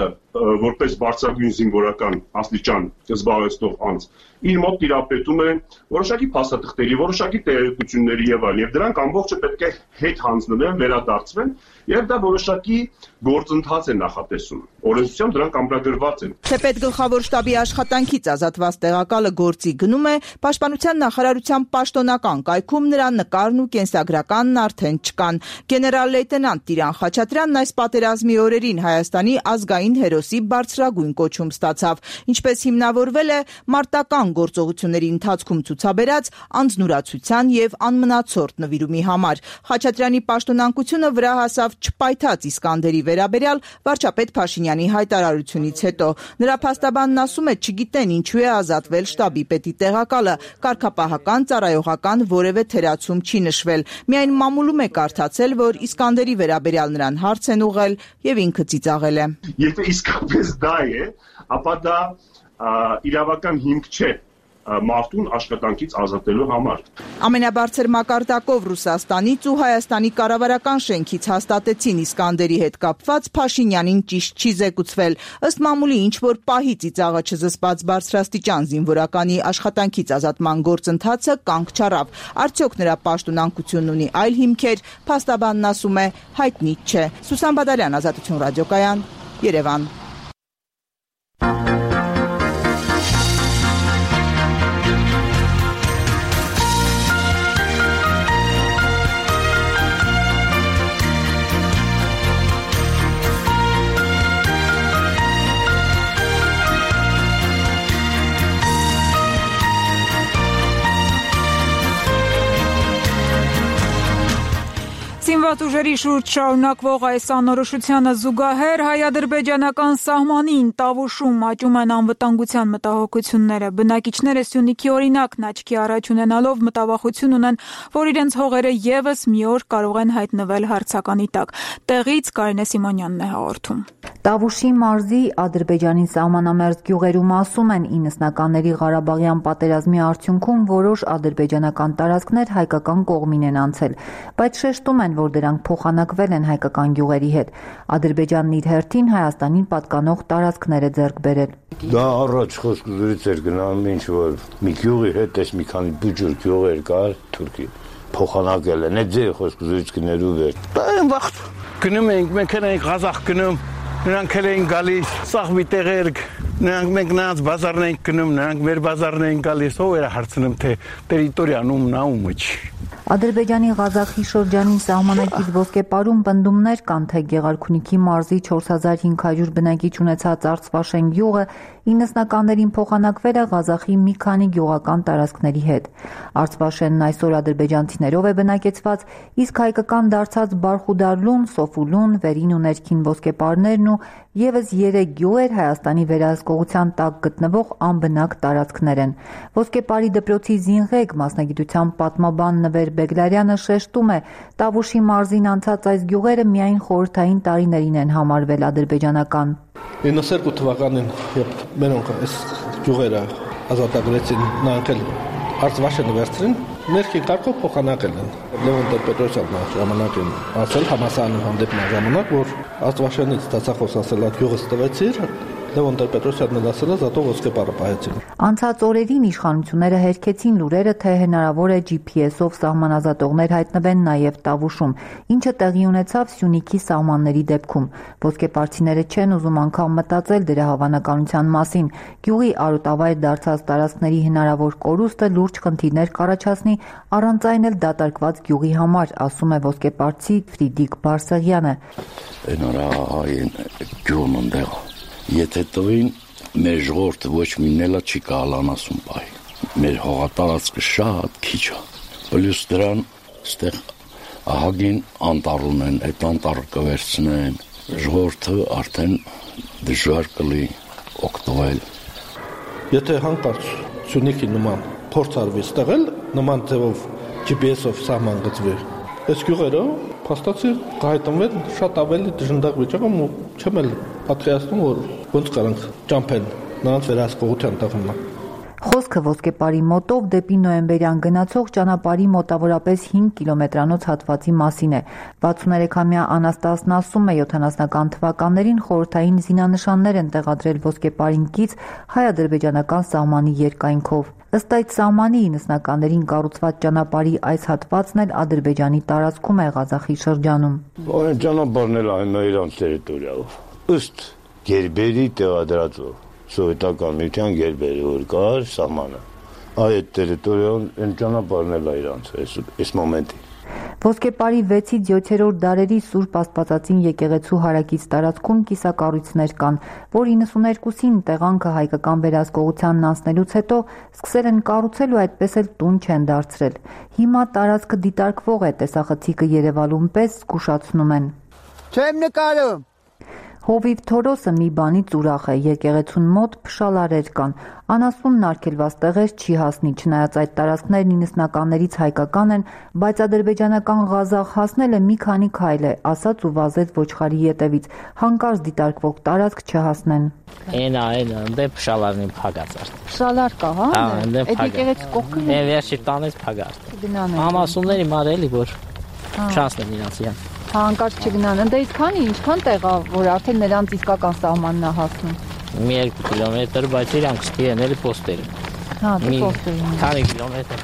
Speaker 8: որպես բարձրագույն զինվորական աստիճան զբաղեցնող անձ, իր մոտ տիրապետում է որոշակի փաստաթղթերի, որոշակի տեղեկությունների եւ այլն, եւ դրանք ամբողջը պետք է հետ հանձնվեն, վերադարձվեն, եւ դա որոշակի գործընթաց է նախատեսում։ Օրենսությամբ դրանք ամրագրված են։
Speaker 7: Թեպետ գլխավոր շտաբի աշխատանքից ազատված տեղակալը գործի գնում է, Պաշտպանության նախարարության պաշտոնական կայքում նրա նկարն ու կենսագրականն արդեն չկան։ Գեներալ լեյտենանտ Տիրան Խաչատրյանն այս պատերազմի օրերին Հայաստանի ազգային հերոսի բարձրագույն կոչում ստացավ, ինչպես հիմնավորվել է մարտական գործողությունների ընթացքում ցուցաբերած անձնուրացության եւ անմնացորդ նվիրումի համար։ Խաչատրյանի պաշտոնանկությունը վրա հասավ չպայթած Իսկանդերի վերաբերյալ վարչապետ Փաշինյանի հայտարարությունից հետո։ Նրա փաստաբանն ասում է, չգիտեն ինչու է ազատվել շտաբի պետի տեղակալը, կարգապահական, ծառայողական որևէ թերացում չի նշվել։ Միայն մամուլում է կարդացել, որ Իսկանդերի վերաբերյալ նրան հարց են ուղղել եւ ինքը ծիծաղել է։
Speaker 8: Եթե իսկապես դա է, ապա դա իրավական հիմք չէ մարդուն աշխատանքից ազատելու համար։
Speaker 7: Ամենաբարձր մակարդակով Ռուսաստանից ու Հայաստանի կառավարական շենքից հաստատեցին Իսկանդերի հետ կապված Փաշինյանին ճիշտ չի զեկուցվել։ Ըստ մամուլի ինչ-որ պահի ծիծաղը չզսպած բարձրաստիճան զինվորականի աշխատանքից ազատման գործընթացը կանգ չառավ։ Արդյոք նրա պաշտոնանկությունն ունի այլ հիմքեր, փաստաբանն ասում է, հայտնի չէ։ Սուսան Բադալյան, Ազատություն ռադիոկայան, Երևան։
Speaker 1: Զինված զինված ուժերի շուրջ շարունակվող այս անորոշությանը զուգահեռ հայ-ադրբեջանական սահմանին Տավուշում աճում են անվտանգության մտահոգությունները։ Բնակիչները Սյունիքի օրինակն աչքի առաջ ունենալով մտավախություն ունեն, որ իրենց հողերը ևս մի օր կարող են հայտնվել հարցականի տակ։ Տեղից Կարինե Սիմոնյանն է հաղորդում։
Speaker 10: Տավուշի մարզի Ադրբեջանի սահմանամերձ գյուղերում ասում են իննսնականների Ղարաբաղյան պատերազմի արդյունքում որոշ ադրբեջանական տարածքներ հայկական կողմին են անցել, բայց շեշտում են, որ դրանք փոխանակվել են հայկական գյուղերի հետ։ Ադրբեջանն իր հերթին Հայաստանին պատկանող տարածքներ է ձեռք բերել։
Speaker 11: Դա առաջ խոսքերից էր գնանում, ինչ որ մի գյուղի հետ էս մի քանի բուջուր գյուղեր կար Թուրքի փոխանակել են, այդ ձեր խոսքերից գներու վեր։
Speaker 12: Դա այն վաղ գնում ենք, մենք ենք Ղազախ գնում, նրանք են գալիս, սաղ մի տեղեր, նրանք մենք նրանց բազարն ենք գնում, նրանք մեր բազարն են գալիս, ով էր հարցնում, թե տերիտորիան ում նա ումը չի։
Speaker 10: Ադրբեջանի Ղազախի շրջանին սահմանակից ոսկեպարում պնդումներ կան, թե Գեղարքունիքի մարզի չորս հազար հինգ հարյուր բնակիչ ունեցած Արցվաշեն գյուղը իննսնականներին փոխանակվել է Ղազախի մի քանի գյուղական տարածքների հետ։ Արցվաշենն այսօր ադրբեջանցիներով է բնակեցված, իսկ հայկական դարձած Բարխուդարլուն, Սոֆուլուն, վերին ու ներքին ոսկեպարներն ու ևս երեք գյուղեր Հայաստանի վերահսկողության տակ գտնվող անբնակ տարածքներ են։ Ոսկեպարի դպրոցի զինղեկ մասնագիտության պատմաբան Նվեր Բեգլարյանը շեշտում է, Տավուշի մարզին անցած այս գյուղերը միայն խորհրդային տարիներին են համարվել ադրբեջանական։
Speaker 13: իննսունհինգ թվականին, երբ մենոնք այս գյուղերը ազատագրեցին, նրանք էլ Արցվաշենը վերցրին, ներքին կարգով փոխանակել են։ Լևոն Տեր-Պետրոսյանն ժամանակ են ասել համասարանի հանդիպման ժամանակ, որ Արցվաշենից ստացախոս ասել այդ գյուղը ստվեցիր, Լևոն Տեր-Պետրոսյանն ասել է զատո ոսկեպարը պահեցին։
Speaker 10: Անցած օրերին իշխանությունները հերքեցին լուրերը, թե հնարավոր է ջի փի էսով սահմանազատողներ հայտնվեն նաև Տավուշում, ինչը տեղի ունեցավ Սյունիքի սահմանների դեպքում։ Ոսկեպարցիները չեն ուզում անգամ մտածել դրա հավանականության մասին։ Գյուղի արոտավայր դարձած տարածքների հնարավոր կորուստը լուրջ խնդիրներ կառաջացնի առանց այն էլ դատարկված գյուղի համար, ասում է ոսկեպարցի Ֆրիդիկ Բարսեղյանը։
Speaker 11: Եթե տվին մեր ժողովուրդը ոչ մինելա չի կարողանասում բայ։ Մեր հողատարածքը շատ քիչ է։ Պլյուս դրան ստեղ ահագին անտառ ունեն, այդ անտառը կվերցնեն, ժողովուրդը արդեն դժվար կլի օգտվել։
Speaker 13: Եթե հանկարծ Սյունիքի նման փորձ արվի ստեղել, նման ձևով ջի պի էսով սահման գծվի, այս գյուղերը փաստացի կհայտնվեն շատ ավելի դժնդակ վիճակում ու չեմ էլ պատկերացնում, որ ոնց կարանք ճամփեն նրանց վերահսկողության տղմա։
Speaker 10: Խոսքը ոսկեպարի մոտով դեպի նոյեմբերյան գնացող ճանապարհի մոտավորապես հինգ կիլոմետրանոց հատվածի մասին է։ վաթսուններեքամյա Անաստասն ասում է, յոթանասունական թվականներին խորհրդային զինանշաններ են տեղադրել ոսկեպարին կից հայ-ադրբեջանական սահմանի երկայնքով։ Ըստ այդ սահմանի իննսնականներին կառուցված ճանապարհի այս հատվածն էլ Ադրբեջանի տարածքում է Ղազախի շրջանում։
Speaker 11: Այն ճանապարհն էլ այն իրանց տերիտորիայով։ Ըստ գերբերի տեղադրածով սովետական միության գերբերը որ կար սահմանը, այդ տերիտորիան այն ճանապարհն էլ իրանց այս մոմենտի։
Speaker 10: Ոսկեպարի վեցից յոթերորդ դարերի Սուրբ Աստվածածին եկեղեցու հարակից տարածքում կիսակառույցներ կան, որ իննսուներկուսին տեղանքը հայկական վերահսկողությանն անցնելուց հետո սկսել են կառուցել ու այդպես էլ տուն չեն դարձրել։ Հիմա տարածքը դիտարկվող է, տեսախցիկը Երևանում պես զգուշացնում են։
Speaker 14: Չեմ նկարում։
Speaker 10: Հովիվ Թորոսը մի բանից ուրախ է, եկեղեցուն մոտ փշալարեր կան, անասունն արգելված տեղեր չի հասնի, չնայած այդ տարածքներն իննսնականներից հայկական են, բայց ադրբեջանական Ղազախ հասնելը մի քանի քայլ է, ասաց ու վազեց ոչխարի ետևից, հանկարծ դիտարկվող տարածք չհասնեն։
Speaker 15: Այն այն դե փշալարն փագած է։
Speaker 10: Փշալար կա, հա։
Speaker 15: Այդ
Speaker 10: եկեղեցու կողքին։
Speaker 15: Է վերջի տանից փագած։ Անասունների մարելի որ չանցնեն իրանցիան։
Speaker 10: Հանկարծ չգնան, ընդ այսքանի ինչքան տեղ է, որ արդեն նրանց իսկական սահմանն է հասնում։
Speaker 15: Մի երկու կիլոմետր, բայց իրանք ստիեն էլի պոստերը։
Speaker 10: Հա, դե պոստերը։
Speaker 15: քանի կիլոմետր։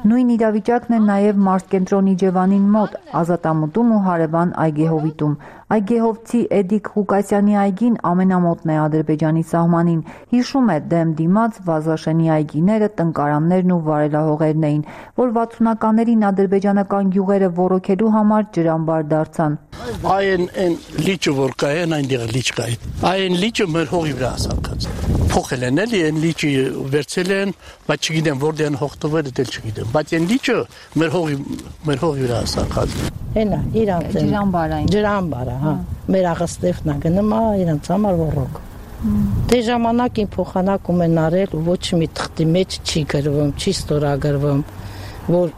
Speaker 10: Նույն իրավիճակն է նաև մարզկենտրոն Իջևանին մոտ, Ազատամուտում ու Հարևան այգեհովիտում։ Այգեհովցի Էդիկ Ղուկասյանի այգին ամենամոտն է Ադրբեջանի սահմանին։ Հիշում է, դեմ դիմաց Վազաշենի այգիները, տնկարաններն ու վարելահողերն էին, որ վաթսունականներին ադրբեջանական գյուղերը ոռոգելու համար ջրամբար դարձան։
Speaker 12: Այն այն լիճը որ կա, այնտեղ լիճ կա։ Այն լիճը մեր հողի վրա ասակած։ Փոխել են էլի, այն լիճը վերցել են, բայց չգիտեմ որտեղ հողտվել է, դել չգիտեմ։ Բայց այն լիճը մեր հողի մեր հողի վրա ասակած։
Speaker 16: Հենա, իրանց
Speaker 10: ջրամբարային։
Speaker 16: Ջրամբարը, հա։ Մեր աղստեփնա գնում է իրանց համար ոռոգ։ Դե ժամանակին փոխանակում են արել ու ոչ մի թղթի մեջ չի գրվում, չի ստորագրվում, որ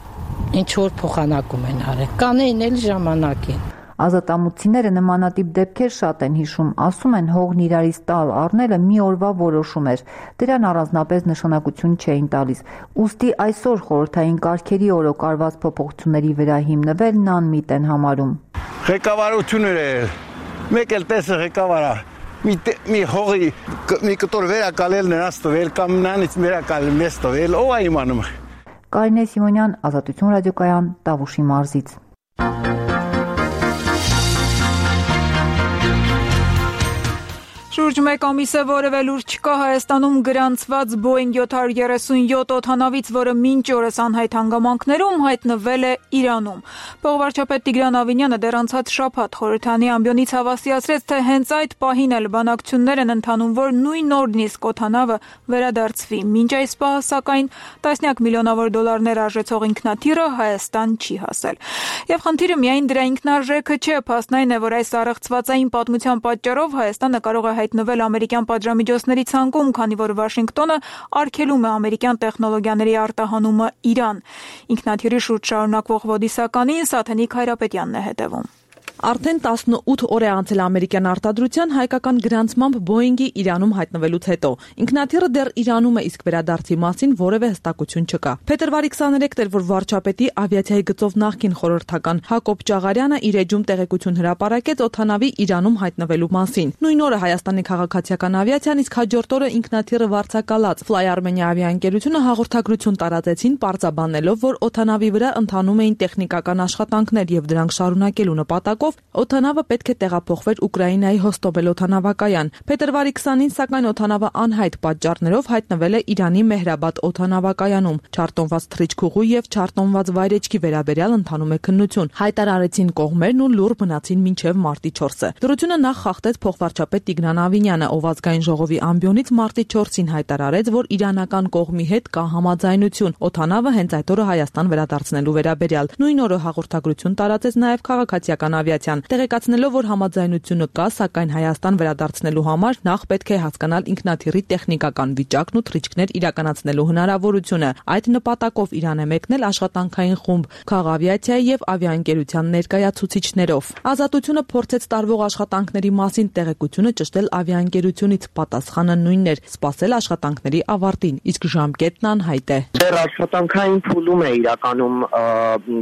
Speaker 16: ինչ որ փոխանակում են արել։ Կանեին էլ ժամանակին։
Speaker 10: Ազատամուտցիները նմանատիպ դեպքեր շատ են հիշում, ասում են հողն իրարից տալ առնելը մի օրվա որոշում էր, դրան առանձնապես նշանակություն չէին տալիս, ուստի այսօր խորհրդային կարգերի օրոք արված փոփոխությունների վրա հիմնվելն անմիտ են համարում։
Speaker 12: Ղեկավարությունները մեկ էլ տեսը ղեկավարա մի մի հողի մի կտոր վերակալել նրանց տվել կամ նրանից վերակալել մեզ տվել, ով է իմանում։
Speaker 10: Կարինե Սիմոնյան, Ազատություն ռադիոկայան, Տավուշի մարզից։
Speaker 1: Շուրջ մեկ ամիս է որևէ լուր չկա Հայաստանում գրանցված Boeing յոթ հարյուր երեսունյոթ օդանավից, որը մինչ օրս անհայտ հանգամանքներում հայտնվել է Իրանում։ Փոխվարչապետ Տիգրան Ավինյանը դեռ անցած շաբաթ խորհրդանի ամբիոնից հավաստիացրեց, թե հենց այդ պահին էլ բանակցություններ են ընթանում, որ նույն օրնիսկ օդանավը վերադարձվի։ Մինչ այս պահը, սակայն, տասնյակ միլիոնավոր դոլարներ արժեցող ինքնաթիռը Հայաստան չի հասել։ Եվ խնդիրը միայն դրա ինքնարժեքը չէ, փաստն այն է, որ այս առեղծվածային պատմության պատճառով Հայաստանը կարող է հայտնվել ամերիկյան պատժամիջոցների ցանկում, քանի որ Վաշինգտոնը արգելում է ամերիկյան տեխնոլոգիաների արտահանումը Իրան։ Ինքնաթիռի շուրջ շարունակվող ոդիսականին Սաթենիկ Հայրապետյանն է հետևում։
Speaker 17: Արդեն տասնութ օր է անցել ամերիկյան արտադրության հայկական գրանցմամբ Boeing-ի Իրանում հայտնվելուց հետո։ Ինքնաթիռը դեռ Իրանում է, իսկ վերադարձի մասին որևէ հստակություն չկա։ Փետրվարի քսաներեքն էր, որ վարչապետի ավիացիայի գծով նախկին խորհրդական Հակոբ Ճաղարյանը իր էջում տեղեկություն հրապարակեց օդանավի Իրանում հայտնվելու մասին։ Նույն օրը Հայաստանի քաղաքացիական ավիացիան, իսկ հաջորդ օրը ինքնաթիռը վարձակալած Fly Armenia ավիաընկերությունը հաղորդագրություն տարածեցին, պարզաբանելով, որ օդանավի վրա ընթանում էին տեխնիկական աշխատանքներ եւ դրանք շարունակելու նպատակով օդանավը պետք է տեղափոխվեր Ուկրաինայի Հոստովել օդանավակայան։ Փետրվարի քսանին, սակայն օդանավը անհայտ պատճառներով հայտնվել է Իրանի Մեհրաբադ օդանավակայանում։ Չարտոնված թռիչքուղու եւ չարտոնված վայրեջքի վերաբերյալ ընթանում է քննություն։ Հայտարարեցին կողմերն ու լուր մնացին մինչեւ մարտի չորսը։ Դրությունը նախ խախտեց փոխվարչապետ Տիգրան Ավինյանը, ով ազգային ժողովի ամբիոնից մարտի չորսին հայտարարեց, որ իրանական կողմի հետ կա համաձայնություն օդանավը հենց այդ օրը Հայաստան վերադարձնելու վերաբերյալ։ Նույն օրը հաղորդագրություն տարածեց նաեւ քաղաքացիական ավիացիան, տեղեկացնելով, որ համաձայնությունը կա, սակայն Հայաստան վերադարձնելու համար նախ պետք է հասկանալ ինքնաթիռի տեխնիկական վիճակն ու թռիչքներ իրականացնելու հնարավորությունը։ Այդ նպատակով Իրան է մեկնել աշխատանքային խումբ քաղավիացիայի եւ ավիաընկերության ներկայացուցիչներով։ Ազատությունը փորձեց տարվող աշխատանքների մասին տեղեկությունը ճշտել ավիաընկերությունից, պատասխանը նույնն էր՝ սպասել աշխատանքների ավարտին, իսկ ժամկետն անհայտ է։
Speaker 18: Դեռ աշխատանքային փուլում է իրականում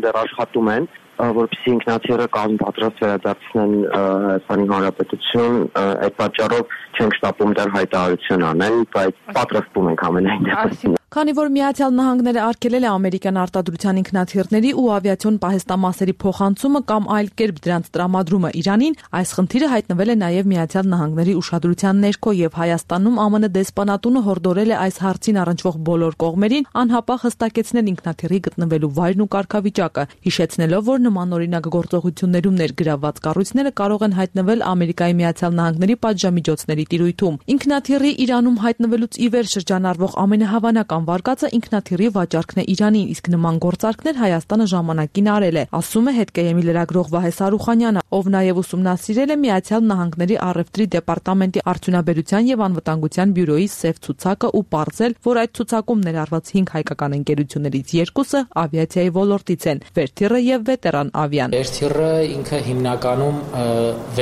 Speaker 18: դեռ աշխատում են, որպեսզի ինքնաթիռը կազմ պատրաստ վերադարձնեն Հայաստանի Հանրապետություն, այդ պատճառով չենք շտապում դեռ հայտարարություն անել, բայց պատրաստվում ենք ամենայն դեպքում։
Speaker 17: Քանի որ Միացյալ Նահանգները արգելել է ամերիկյան արտադրության ինքնաթիռների ու ավիացիոն պահեստամասերի փոխանցումը կամ այլ կերպ դրանց տրամադրումը Իրանին, այս խնդիրը հայտնվել է նաև Միացյալ Նահանգների ուշադրության ներքո եւ Հայաստանում ԱՄՆ դեսպանատունը հորդորել է այս հարցին առնչվող բոլոր կողմերին անհապաղ հստակեցնել ինքնաթիռի գտնվելու վայրն ու կարգավիճակը, հիշեցնելով, որ նմանօրինակ գործողություններում ներգրավված կառույցները կարող են հայտնվել Ամերիկայի Միացյալ Նահանգների պատժամիջոցների տիրույթում։ Ինքնաթիռի Իրանում հայտնվելուց ի վեր շրջանառվող ամենահավանական վարկածը ինքնաթիռի վաճառքն է Իրանին, իսկ նման գործարքներ Հայաստանը ժամանակին արել է, ասում է հետկեյեմի լրագրող Վահե Սարուխանյանը, ով նաև ուսումնասիրել է Միացյալ Նահանգների առևտրի դեպարտամենտի արդյունաբերության եւ անվտանգության բյուրոյի սև ցուցակը ու պարզել, որ այդ ցուցակում ներառված հինգ հայկական ընկերություններից երկուսը ավիացիայի ոլորտից են՝ Վերթիռը եւ Վետերան ավիան։
Speaker 15: Վերթիռը ինքը հիմնականում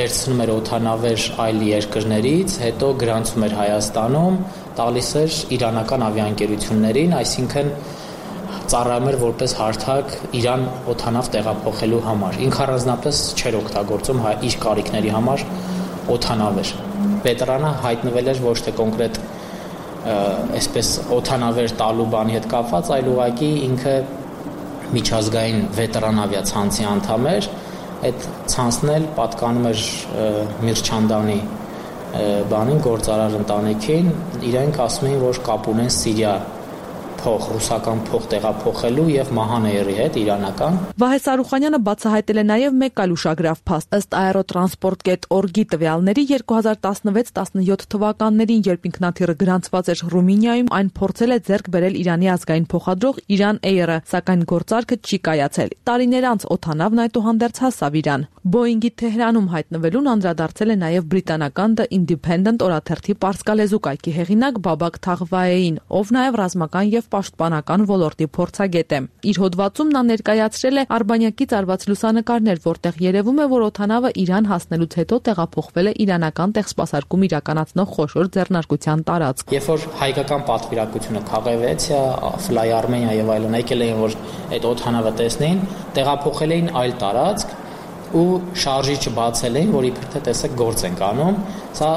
Speaker 15: վերցնում էր օդանավեր այլ երկրներից, հետո գրանցում էր Հայաստանում, տալիս էր իրանական ավիաընկերություններին, այսինքն ծառայում էր որպես հարթակ Իրան օդանավ տեղափոխելու համար։ Ինքը առանձնապես չէր օգտագործում իր կարիքների համար օդանավեր։ Վետերանը հայտնվել էր ոչ թե կոնկրետ այսպես օդանավեր տալու բանի հետ կապված, այլ ուղղակի ինքը միջազգային վետերան ավիացանցի անդամ էր այդ ցանցն էլ պատկանում էր Միրչանդանի բանին գործարար ընտանիքին, իրենք ասում էին, որ կապ ունեն Սիրիա փող, ռուսական փող տեղափոխելու եւ Մահանեյրի հետ իրանական։
Speaker 17: Վահե Սարուխանյանը բացահայտել է նաեւ մեկ այլ ուշագրավ փաստ։ Ըստ Aerotransport կետ org-ի տվյալների երկու հազար տասնվեց տասնյոթ թվականներին, երբ ինքնաթիռը գրանցված էր Ռումինիայում, այն փորձել է ձեռք բերել Իրանի ազգային փոխադրող Iran Air-ը, սակայն գործարքը չի կայացել։ Տարիներ անց օդանավն այդուհանդերձ հասավ Իրան։ Boeing-ի Թեհրանում հայտնվելուն անդրադարձել է նաեւ բրիտանական The Independent օրաթերթի պարսկալեզու կայքի հեղինակ Բաբակ Թաղվայեին, ով նաեւ ռազմական եւ պաշտպանական ոլորտի փորձագետ է։ Իր հոդվածում նա ներկայացրել է արբանյակից արված լուսանկարներ, որտեղ երևում է, որ օդանավը Իրան հասնելուց հետո տեղափոխվել է իրանական տեղսպասարկում իրականացնող խոշոր ձեռնարկության տարածք։
Speaker 15: Երբ որ հայկական պատվիրակությունը Քաղևեցիա, Fly Armenia եւ այլն եկել էին, որ այդ օդանավը տեսնեին, տեղափոխել էին այլ տարածք ու շարժիչը բացել էին, որ իբր թե տեսեք գործ ենք անում։ Սա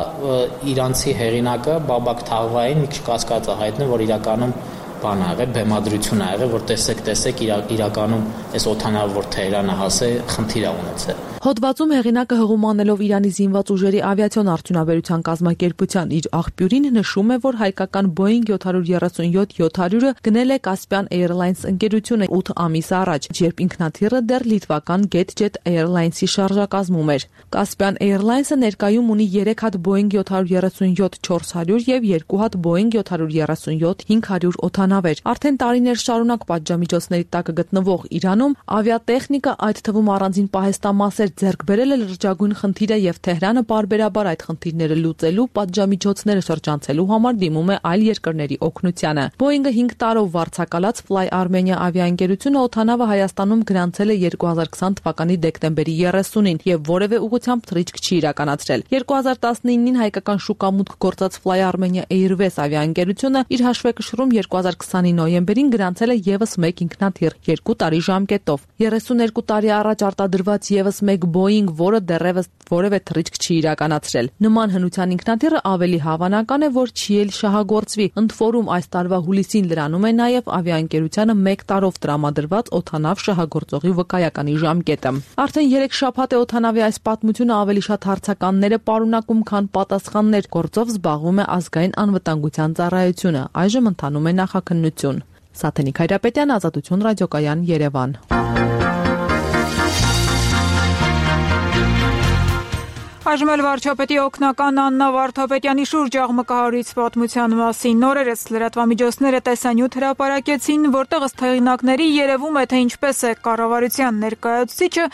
Speaker 15: իրանցի հեղինակը Բաբակ Թաղվային մի քիչ կասկած է հայտնում, որ իրականում բան ա եղել, բեմադրություն ա եղել, որ տեսեք, տեսեք իրականում այս օդանավը, որ Թեհրանը հասե, խնդիր ա ունեցել։
Speaker 17: Հոդվածում հեղինակը հղումանելով Իրանի զինված ուժերի ավիացիոն արդյունաբերության կազմակերպության իր աղբյուրին նշում է, որ հայկական Boeing յոթ երեսունյոթ յոթ հարյուրը գնել է Caspian Airlines ընկերությունը ութ ամիս առաջ, երբ ինքնաթիռը դեռ լիտվական GetJet Airlines-ի շարժակազմում էր։ Caspian Airlines-ը ներկայում ունի երեք հատ Boeing յոթ երեսունյոթ չորս հարյուր եւ երկու հատ Boeing յոթ երեսունյոթ հինգ հարյուր օդանավեր։ Արդեն տարիներ շարունակ պատժամիջոցների տակ գտնվող Իրանում ավիատեխնիկա, այդ թվում առանձին պահեստամասեր ձեռք բերել է լրջագույն խնդիրը եւ Թեհրանը բարբերաբար այդ խնդիրները լուծելու, պատժամիջոցները շրջանցելու համար դիմում է այլ երկրների օգնությանը։ Boeing-ը հինգ տարով վարձակալած Fly Armenia ավիաընկերությունը օդանավը Հայաստանում գրանցել է երկու հազար քսան թվականի դեկտեմբերի երեսունին եւ որևէ ուղղությամբ թռիչք չի իրականացրել։ երկու հազար տասնինին հայկական շուկամուտք գործած Fly Armenia Airways ավիաընկերությունը իր հաշվեկշռում երկու հազար քսանի նոյեմբերին գրանցել է եւս մեկ ինքնաթիռ երկու տարի ժամկետով։ երեսուներկու տարի առաջ արտադրված եւս մեկ Boeing, որը դեռևս որևէ թռիչք չի իրականացրել։ Նման հնության ինքնաթիռը ավելի հավանական է, որ չի էլ շահագործվի։ Ընդ որում այս տարվա հուլիսին լրանում է նաև ավիաընկերությանը մեկ տարով տրամադրված օդանավ շահագործողի վկայականի ժամկետը։ Արդեն երեք շաբաթ է օդանավի այս պատմությունը ավելի շատ հարցականներ է պարունակում, քան պատասխաններ։ Գործով զբաղվում է ազգային անվտանգության ծառայությունը։ Այժմ ընթանում է նախաքննություն։ Սաթենիկ Հայրապետյան, Ազատություն ռադիոկայան, Երևան։
Speaker 1: Այժմ էլ վարչապետի օգնական Աննա Վարդապետյանի շուրջ աղմկահարույց պատմության մասին նորերս լրատվամիջոցները տեսանյութ հրապարակեցին, որտեղ ըստ հեղինակների երևում է, թե ինչպես է կառավարության ներկայացուցիչը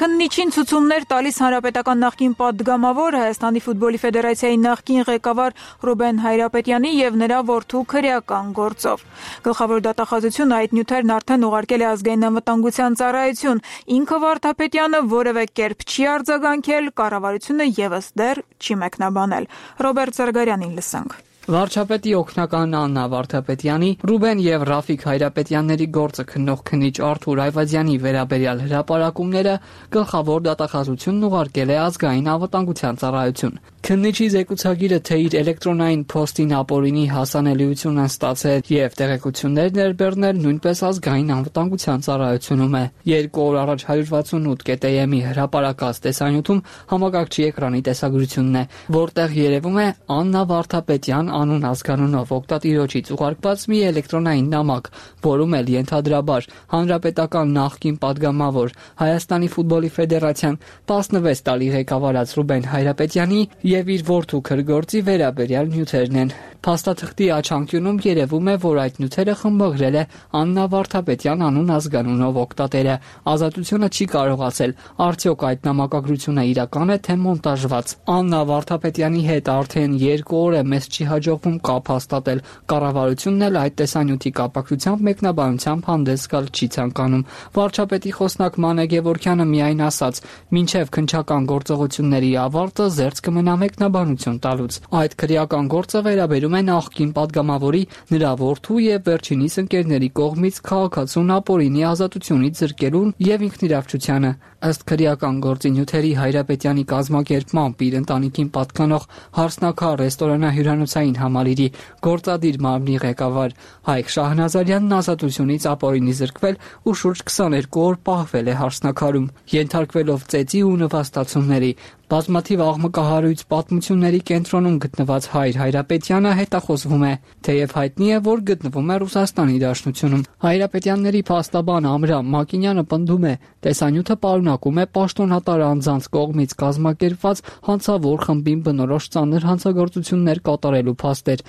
Speaker 1: քննիչին ցուցումներ տալիս հանրապետական նախկին պատգամավոր Հայաստանի ֆուտբոլի ֆեդերացիայի նախկին ղեկավար Ռուբեն Հայրապետյանի եւ նրա որդու քրեական գործով։ Գլխավոր դատախազությունը այդ նյութերն արդեն ուղարկել է ազգային անվտանգության ծառայություն։ Ինքը Վարդապետյանը որևէ կերպ չի արձագանքել, կառավարությունը եւս դեռ չի մեկնաբանել։ Ռոբերտ Զարգարյանին լսենք։
Speaker 19: Վարչապետի օգնական Աննա Վարդապետյանի, Ռուբեն եւ Ռաֆիկ Հայրապետյանների գործը քննող քննիչ Արթուր Այվազյանի վերաբերյալ հրապարակումները գլխավոր դատախազությունն ուղարկել է ազգային անվտանգության ծառայություն։ Քննիչի զեկուցագիրը, թե իր էլեկտրոնային փոստին ապօրինի հասանելիություն են ստացել եւ տեղեկություններ ներբեռնել, նույնպես ազգային անվտանգության ծառայությունում է։ Երկու օր առաջ հարյուր վաթսունութ կետ էմ-ի հրապարակած տեսանյութում համակարգչի էկրանի տեսագրությունն է, որտեղ երևում է Աննա Վարդապետյան անուն ազգանունով օգտատիրոջից ուղարկված մի էլեկտրոնային նամակ, որում էլ ենթադրաբար հանրապետական նախկին պատգամավոր Հայաստանի ֆուտբոլի ֆեդերացիան տասնվեց տարի ղեկավարած Ռուբեն Հայրապետյանի եւ իր որդու քրգործի վերաբերյալ նյութերն են։ Փաստաթղթի աչանկյունում երևում է, որ այդ նյութերը խմբագրել է Աննա Վարդապետյան անուն ազգանունով օգտատերը։ Ազատությունը չի կարողացել արդյոք այդ նամակագրությունը իրական է, թե մոնտաժված։ Աննա Վարդապետյանի հետ արդեն երկու օր է մեզ չի հաջողվում կապ հաստատել։ Կառավարությունն էլ այդ տեսանյութի կապակցությամբ մեկնաբանությամբ հանդես գալ չի ցանկանում։ Վարչապետի խոսնակ Մանե Գևորգյանը միայն ասաց. «Մինչև քննչական գործողությունների ավարտը զերծ կմնա մեկնաբանություն տալուց»։ Այդ քրեական գործը վերաբերում ասում է նախկին падգամավորի, նրա որդու եւ վերջինիս ընկերների կողմից քաղաքացուն ապօրինի ազատությունից զրկելուն եւ ինքնիրավչությանը։ Ըստ քրեական գործի նյութերի Հայրապետյանի կազմակերպմամբ իր ընտանիքին պատկանող Հարսնաքար ռեստորանահյուրանոցային համալիրի գործադիր մարմնի ղեկավար Հայկ Շահնազարյանն ազատությունից ապօրինի զրկվել ու շուրջ քսաներկու օր պահվել է Հարսնաքարում, ենթարկվելով ծեծի ու նվաստացումների։ Բազմաթիվ աղմկահարույց պատմությունների կենտրոնում գտնված Հայր Հայրապետյանը հետախոզվում է, թեև հայտնի է, որ գտնվում է Ռուսաստանի Դաշնությունում։ Հայրապետյանների փաստաբան Ամրամ Մակինյանը պնդում է, տեսանյութը պարունակում է պաշտոնատար անձանց կողմից կազմակերպված հանցավոր խմբին բնորոշ ծանր հանցագործություններ կատարելու փաստեր։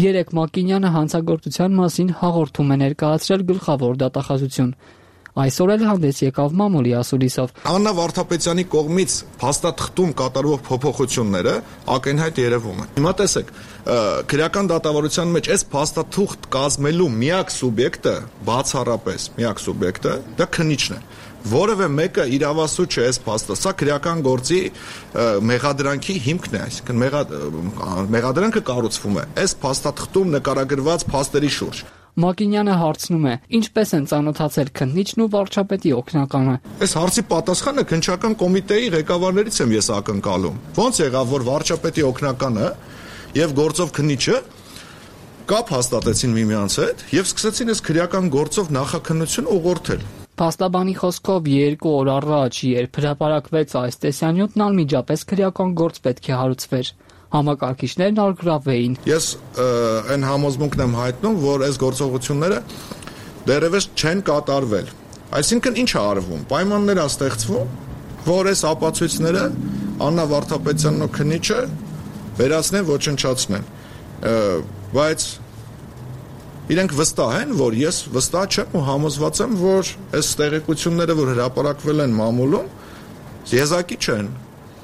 Speaker 19: Երեկ Մակինյանը հանցագործության մասին հաղորդում է ներկայացրել գլխավոր դատախազություն։ Այսօր էլ հանդես եկավ մամուլի ասուլիսով։
Speaker 20: Աննա Վարդապետյանի կողմից փաստաթղթում կատարվող փոփոխությունները ակնհայտ երևում են։ Հիմա տեսեք, քրեական դատավարության մեջ այս փաստաթուղթ կազմելու միակ սուբյեկտը, բացառապես միակ սուբյեկտը դա քննիչն է։ Որևէ մեկը իրավասու չէ այս փաստը, սա քրեական գործի մեղադրանքի հիմքն է, այսինքն մեղադրանքը կառուցվում է այս փաստաթղթում նկարագրված փաստերի շուրջ։
Speaker 19: Մակինյանը հարցնում է. ինչպես են ծանոթացել քննիչն ու վարչապետի օգնականը։
Speaker 20: Այս հարցի պատասխանը քննչական կոմիտեի ղեկավարներից եմ ես ակնկալում։ Ոնց եղավ, որ վարչապետի օգնականը եւ գործով քննիչը կապ հաստատեցին միմյանց հետ եւ սկսեցին այս քրեական գործով նախաքննություն ուղղորդել։
Speaker 19: Փաստաբանի խոսքով երկու օր առաջ, երբ հրապարակվեց այս տեսանյութն, անմիջապես քրեական գործ պետք է հարուցվեր։ Համակարգիչներն արգրավեին։
Speaker 20: Ես այն համոզմունքն եմ հայտնում, որ այս գործողությունները դեռևս չեն կատարվել։ Այսինքն ինչ է արվում։ Պայմաններ է ստեղծվում, որ այս ապացույցները Աննա Վարդապետյանն ու քննիչը վերացնեն, ոչնչացնեն։ Բայց իրենք վստահ են, որ ես վստահ չեմ ու համոզված եմ, որ այս տեղեկությունները, որ հրապարակվել են մամուլում, եզակի չեն։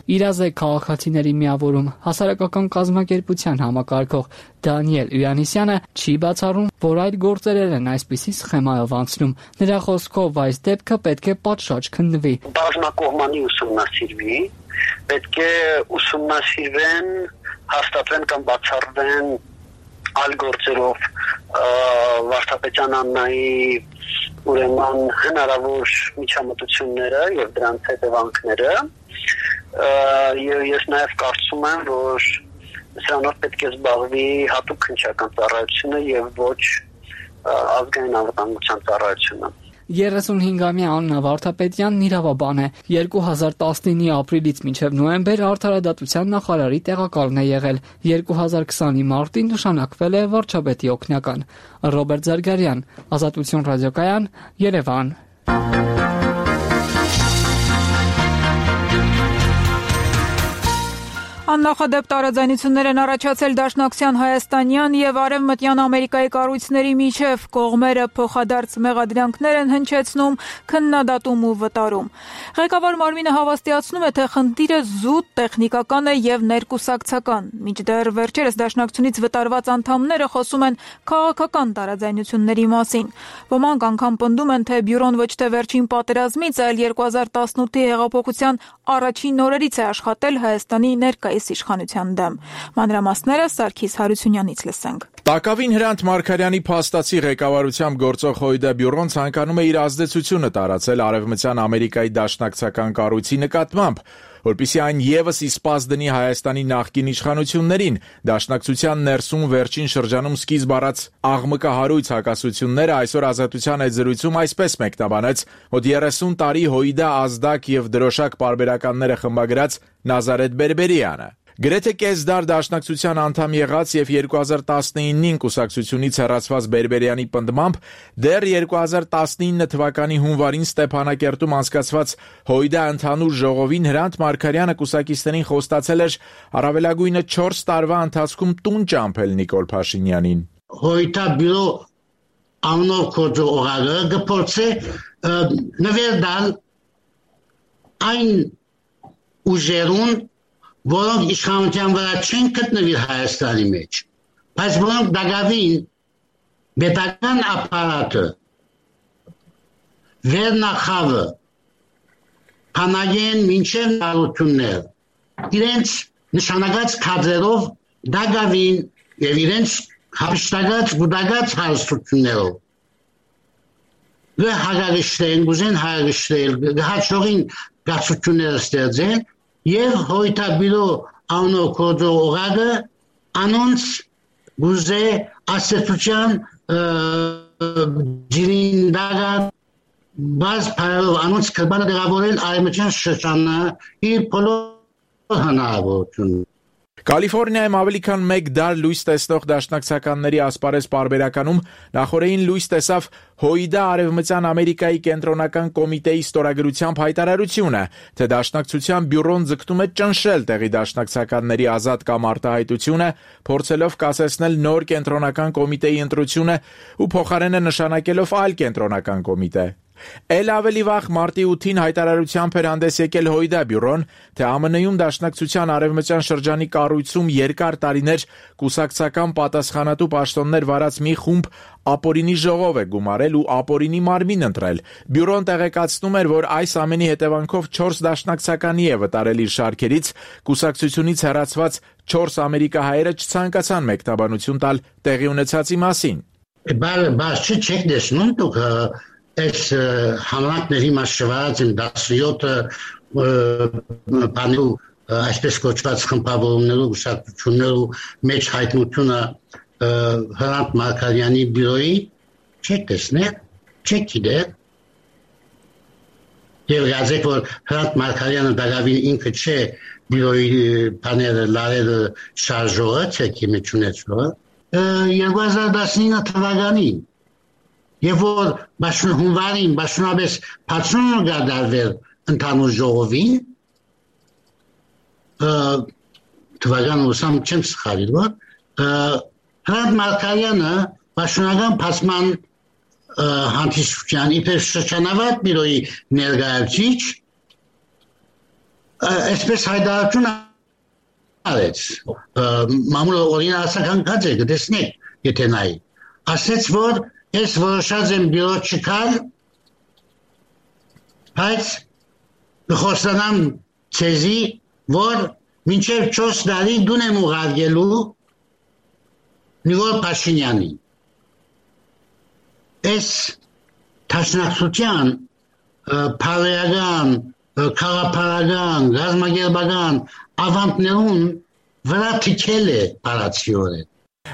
Speaker 19: Իրազեկ քաղաքացիների միավորում հասարակական կազմակերպության համակարգող Դանիել Ույանիսյանը չի բացառում, որ այդ գործերել են այսպիսի սխեմայով անցնում։ Նրա խոսքով այս դեպքը պետք է պատշաճ քննվի։
Speaker 21: Բազմակողմանի ուսումնասիրվի, պետք է ուսումնասիրվեն, հաստատվեն կամ բացառվեն այլ գործերով Վարդապետյան Աննայի ուրեմն հնարավոր միջամտությունները եւ դրանց հետևանքները։ Ես նաև կարծում եմ, որ սրանով պետք է զբաղվի հատուկ քննչական ծառայությունը եւ ոչ ազգային անվտանգության ծառայությունը։
Speaker 19: երեսունհինգամյա Աննա Վարդապետյանն իրավաբան է։ երկու հազար տասնինի ապրիլից մինչև նոյեմբեր արդարադատության նախարարի տեղակալն է եղել։ երկու հազար քսանի մարտին նշանակվել է վարչապետի օգնական։ Ռոբերտ Զարգարյան, Ազատություն ռադիոկայան, Երևան։
Speaker 1: Աննախադեպ տարաձայնություններ են առաջացել Դաշնակցության հայաստանյան եւ արևմտյան Ամերիկայի կառույցների միջև, կողմերը փոխադարձ մեղադրանքներ են հնչեցնում, քննադատում ու վտարում։ Ղեկավար Մարմինը հավաստիացնում է, թե խնդիրը զուտ տեխնիկական է եւ ներկուսակցական։ Մինչդեռ վերջերս Դաշնակցությունից վտարված անդամները խոսում են քաղաքական տարաձայնությունների մասին։ Ոմանք անգամ պնդում են, թե բյուրոն ոչ թե վերջին պատերազմից, այլ երկու հազար տասնութի հեղափոխության առաջին օրերից է աշխատել Հայաստանի ներկայիս իշխանության դեմ։ Մանրամասները Սարգիս Հարությունյանից լսենք։
Speaker 9: Տակավին Հրանտ Մարգարյանի փաստացի ղեկավարությամբ գործող ՀՅԴ բյուրոն ցանկանում է իր ազդեցությունը տարածել Արևմտյան Ամերիկայի դաշնակցական կառույցի նկատմամբ, որպեսզի այն եւս իսպաս դնի Հայաստանի նախկին իշխանություններին։ Դաշնակցության ներսում վերջին շրջանում սկիզբ առած աղմկահարույց հակասությունները այսօր Ազատության այդ զրույցում այսպես մեկնաբանեց մոտ երեսուն տարի ՀՅԴ ազդակ եւ դրոշակ պարբերականները խմբագրած Նազարեթ Բերբերյանը։ Գրեթե կես դար Դաշնակցության անդամ եղած եւ երկու հազար տասնինին կուսակցությունից հեռացված Բերբերյանի պնդմամբ դեռ երկու հազար տասնինը թվականի հունվարին Ստեփանակերտում անցկացված ՀՅԴ ընդհանուր ժողովին Հրանտ Մարգարյանը կուսակիցներին խոստացել էր առավելագույնը չորս տարվա ընթացքում տուն ճամփել Նիկոլ Փաշինյանին։
Speaker 22: ՀՅԴ բյուրո անով կոչող օրագը գործե նվերդալ այն ուժերուն, որոնք իշխանության վրա չեն գտնվի Հայաստանի մեջ, բայց որոնք դակավին պետական ապարատը, վերնախավը, հանագեն մինչև նարություններ, իրենց նշանակած կադրերով դակավին եւ իրենց հապշտակած գուտակած հարստություններով հագարիշտեն գուզեն հագարիշտել հաճողին գացությունները ստեղծեն եւ հոյտաբիրո անոնք կոդո օղագը անոնց գուզե ասեցության ջիրինդագա բազ փայլով անոնց կրբանը դեղավորել արեմության շրջանը իր բոլոր հնարավորություն
Speaker 9: Կալիֆոռնիայում ավելի քան մեկ դար լույս տեսնող դաշնակցականների ասպարեզ պարբերականում նախորդին լույս տեսավ Հոիդա Արևմտյան Ամերիկայի կենտրոնական կոմիտեի ստորագրությամբ հայտարարությունը, թե դաշնակցության բյուրոն ձգտում է ճնշել տեղի դաշնակցականների ազատ կամ արտահայտությունը, փորձելով կասեցնել նոր կենտրոնական կոմիտեի ընտրությունը ու փոխարենը նշանակելով այլ կենտրոնական կոմիտե։ Էլ ավելի վաղ մարտի ութին հայտարարությամբ էր հանդես եկել Հոիդա բյուրոն, թե ԱՄՆ-ում դաշնակցության արևմտյան շրջանի կառույցում երկար տարիներ կուսակցական պատասխանատու պաշտոններ վարած մի խումբ ապօրինի ժողով է գումարել ու ապօրինի մարմին ընտրել։ Բյուրոն տեղեկացնում էր, որ այս ամենի հետևանքով չորս դաշնակցականի է վտարել իր շարքերից, կուսակցությունից հեռացված չորս ամերիկահայերը չցանկացան մեկնաբանություն տալ տեղի ունեցածի մասին։
Speaker 22: Բայց չեք տեսնում դուք Այս համակների մասշված են դասյոթը բանու այսպես կոչված խմբավորումներու գուսակցություններու մեջ հայտնությունը Հրանտ Մարկարյանի բյուրոյի չեք տեսնել, չեք գիտել եւ գազեք որ Հրանտ Մարկարյանը դակավին ինքը չէ բյուրոյի բաները լարերը շարժողը չեք իմիջունեցվող երկու հազար տասնինը թվականին Եվ որ բաշուն հունվարին, բաշունաբես պացունը գադարվել ընդանուր ժողովին, թվական ուսամ չեմ սխալիր, որ, Հրանտ Մարկարյանը բաշունական պացման հանդիսության իպեր շրջանավատ բիրոյի ներգայացիչ, այսպես հայդարություն արեց, մամուլը օրինը ասական կած է, գտեսնեք, եթե նայի, ասեց, որ Ես որոշած եմ բյուրո չկալ, բայց խոստանամ ցեզի, որ մինչև չորս տարի դուն եմ ուղարկելու Նիկոլ Փաշինյանին։ Այս դաշնակցության փարեական, քաղաքապարական, գազագերբական ավանդներուն վրա թիքել է բառացիորեն։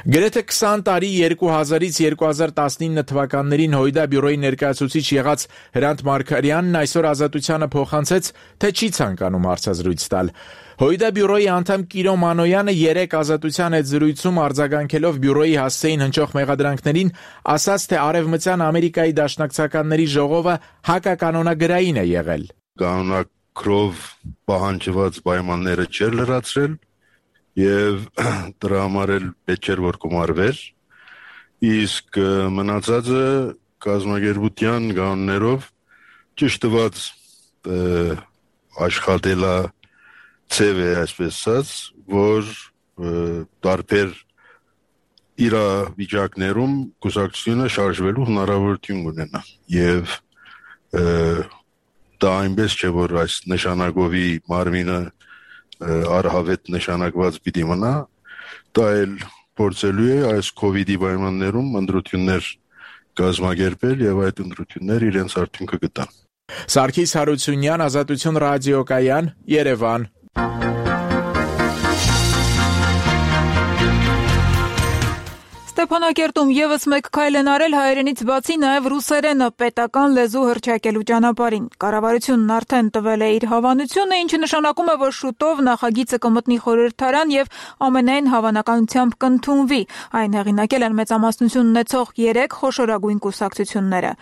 Speaker 9: Գրեթե քսան տարի երկու հազարից երկու հազար տասնինը թվականներին Հոիդա բյուրոյի ներկայացուցիչ եղած Հրանտ Մարկարյանն այսօր Ազատությանը փոխանցեց, թե չի ցանկանում հարցազրույց տալ։ Հոիդա բյուրոյի անդամ Կիրո Մանոյանը երեք Ազատության հետ զրույցում արձագանքելով բյուրոյի հասցեին հնչող մեղադրանքներին ասաց, թե Արևմտյան Ամերիկայի դաշնակցականների ժողովը հակականոնագրային է եղել։
Speaker 3: Կանոնակրով պահանջված պայմանները չէր լրացրել Եվ դրա համար էլ պետք էր որ գումարվեր, իսկ մնացածը կազմակերպության կանոններով ճիշտ տված աշխատելա ցև է այսպես ասած, որ տարբեր իրավիճակներում կուսակցությունը շարժվելու հնարավորություն ունենա եւ դա այնպես չէ որ այս նշանակովի մարմինը արհավետ նշանակված պիտի մնա, դա էլ փորձելու է այս կովիդի պայմաններում ընտրություններ կազմակերպել եւ այդ ընտրությունները իրենց արդյունքը կտան։
Speaker 9: Սարգիս Հարությունյան, Ազատություն ռադիոկայան, Երևան։
Speaker 1: Ստեփանակերտում եւս մեկ քայլ են արել հայերենից բացի նաեւ ռուսերենը պետական լեզու հռչակելու ճանապարհին։ Կառավարությունն արդեն տվել է իր հավանությունը, ինչը նշանակում է, որ շուտով նախագիծը կմտնի խորհրդարան եւ ամենայն հավանականությամբ կընդունվի։ Այն հեղինակել են մեծամասնություն ունեցող երեք խոշորագույն կուսակցությունները։